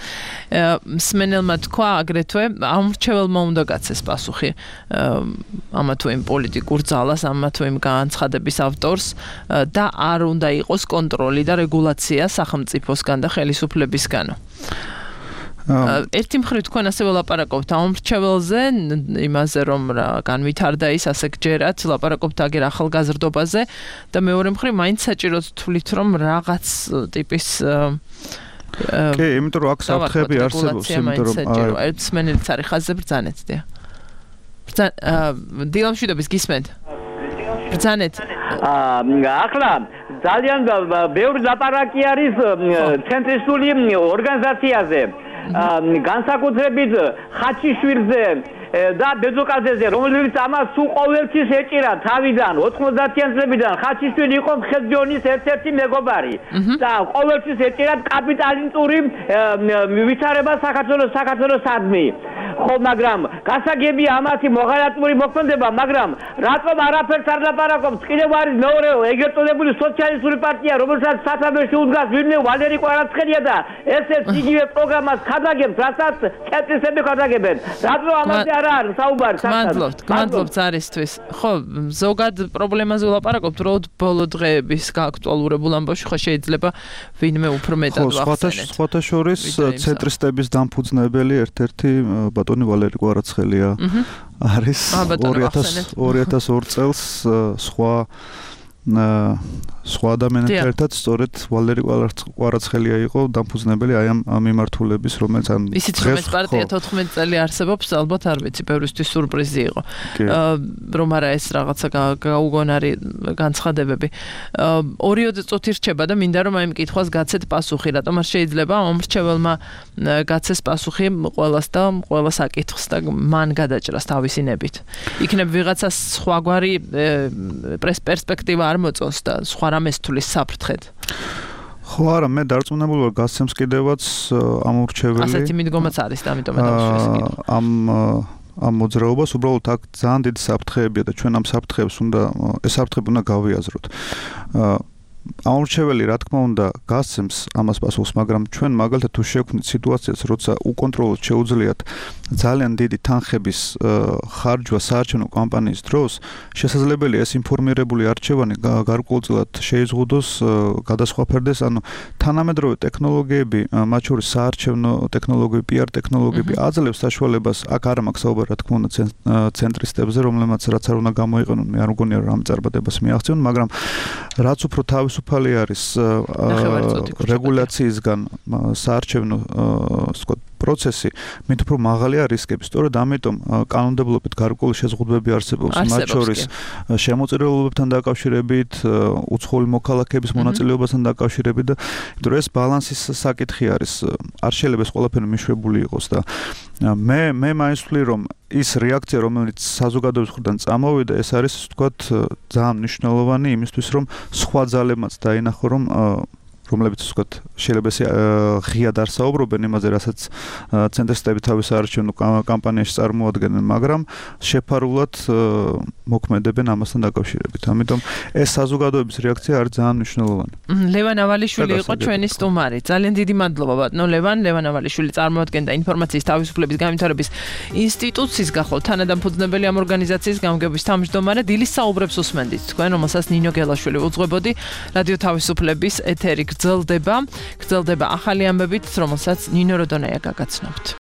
მსმენელმა თქვა აგრეთვე ამ მრჩეველმა უნდა გაცეს პასუხი ამა თუ იმ პოლიტიკურ ძალას ამა თუ იმ განცხადების ავტორს და არ უნდა იყოს კონტროლი და რეგულაცია სახელმწიფოსგან და ხელისუფლებისგანო ერთი მხრივ თქვენ ასე ვლაპარაკობთ ამ მრჩეველზე იმაზე რომ რა განვითარდა ის ასე გჯერათ ლაპარაკობთ აგერ ახალგაზრდობაზე და მეორე მხრივ მაინც საჭიროდ თვლით რომ რაღაც ტიპის კი იმიტომ რომ აქ საფრთხეები არსებობს იმიტომ რომ ერთ სმენელიც არის ხაზზე ბრძანეთ დია დილამშვიდობის გისმენთ ბრძანეთ ახლა ძალიან ბევრი ლაპარაკი არის ცენტრისტული ორგანიზაციაზე განსაკუთრებით ხაჩიშვილზე და ბეძოკაძეზე რომელიც ამას სულ ყოველთვის ეჭირა თავიდან ოთხმოცდაათიან წლებიდან ხაჩიშვილი იყო ხევდიონის ერთ-ერთი მეგობარი და ყოველთვის ეჭირა კაპიტალისტური ვითარება საქართველოს საქართველოსადმი ხო მაგრამ გასაგებია ამათი მოღალატური მოქმედება მაგრამ რატომ არაფერს არ ლაპარაკობს კიდევ არის მეორე ეგრეთ წოდებული სოციალისტური პარტია რომელსაც სათავეში უდგას ვინმე ვალერი კვარაცხელია და ესეც იგივე პროგრამას ხადაგებს რასაც ცენტრისტები ხადაგებენ რატომ ამაზე არ არის საუბარი მადლობთ მადლობთ ზარისთვის ხო ზოგად პრობლემაზე ვლაპარაკობთ რომ ბოლო დღეების გააქტუალურებულ ამბავში ხო შეიძლება ვინმე უფრო მეტად ვახსენეთ ხო სხვათა შორის ცენტრისტების დამფუძნებელი ერთ-ერთი ბატონი ვალერი კვარაცხელია არის ორი ათას ორ წელს სხვა სხვა ადამიანებთან ერთად სწორედ ვალერი კვარაცხელია იყო დამფუძნებელი აი ამ მიმართულების რომელიც ამ ისიც რომ ეს პარტია თოთხმეტ წელი არსებობს ალბათ არ ვიცი ბევრისთვის სურპრიზი იყო რომ არა ეს რაღაცა გაუგონარი განცხადებები ორიოდე წუთი რჩება და მინდა რომ აი ამ კითხვას გაცეთ პასუხი რატომ არ შეიძლება ამ მრჩეველმა გაცეს პასუხი ყველას და ყველა საკითხს და მან გადაჭრას თავისი ნებით იქნებ ვიღაცას სხვაგვარი პერსპექტივა არ მოწონს და სხვა რამეს თulis საფრთხედ. ხო არა, მე დარწმუნებული ვარ გასცემს კიდევაც ამ მრჩეველი. ასეთი მიდგომაც არის და ამიტომ დავშვეს კიდევ. ამ ამ მოძრაობას უბრალოდ აქ ძალიან დიდი საფრთხეებია და ჩვენ ამ საფრთხეებს უნდა ეს საფრთხები უნდა გავიაზროთ. ამორჩეველი რა თქმა უნდა გასცემს ამას პასუხს, მაგრამ ჩვენ მაგალითად თუ შევქმნით სიტუაციას, როცა უკონტროლოდ შეუძლიათ ძალიან დიდი თანხების ხარჯვა საარჩევნო კამპანიის დროს, შესაძლებელია ეს ინფორმირებული არჩევანი გარკვეულწილად შეიზღუდოს, გადასხვაფერდეს, ანუ თანამედროვე ტექნოლოგიები, მათ შორის საარჩევნო ტექნოლოგიები, პიარ ტექნოლოგიები აძლევს საშუალებას, აქ არ მაქვს საუბარი, რა თქმა უნდა, ცენტრისტებზე, რომლებმაც რაც არ უნდა გამოიყენონ, მე არ მგონია რომ ამ წარმატებას მიაღწიონ, მაგრამ რაც უფრო თავისუფალი არის რეგულაციისგან საარჩევნო ვთქვათ პროცესი, მით უფრო მაღალია რისკები. სწორედ ამიტომ კანონმდებლობით გარკვეული შეზღუდვები არსებობს, მათ შორის შემოწირულობებთან დაკავშირებით, უცხოელი მოქალაქეების მონაწილეობასთან დაკავშირებით და იმიტომ რომ ეს ბალანსის საკითხი არის. არ შეიძლება ეს ყველაფერი მიშვებული იყოს და მე მე მაინც ვთვლი რომ ის რეაქცია რომელიც საზოგადოების მხრიდან წამოვიდა, ეს არის ვთქვათ ძალიან მნიშვნელოვანი იმისთვის რომ სხვა ძალებმაც დაინახო რომ რომლებიც ვთქვათ შეიძლება ეს ღიად არ საუბრობენ იმაზე, რასაც ცენტრისტები თავის საარჩევნო კამპანიაში წარმოადგენენ, მაგრამ შეფარულად მოქმედებენ ამასთან დაკავშირებით. ამიტომ ეს საზოგადოების რეაქცია არის ძალიან მნიშვნელოვანი. ლევან ავალიშვილი იყო ჩვენი სტუმარი. ძალიან დიდი მადლობა ბატონო ლევან. ლევან ავალიშვილი წარმოადგენდა ინფორმაციის თავისუფლების განვითარების ინსტიტუციის გახოლ თანადამფუძნებელი ამ ორგანიზაციის გამგეობის თავმჯდომარე. დილის საუბრებს უსმენდით თქვენ, რომელსაც ნინო გელაშვილი უძღვებოდი. რადიო თავისუფლების ეთერი გრძელდება, გრძელდება ახალი ამბებით, რომელსაც ნინო როდონაია გაგაცნობთ.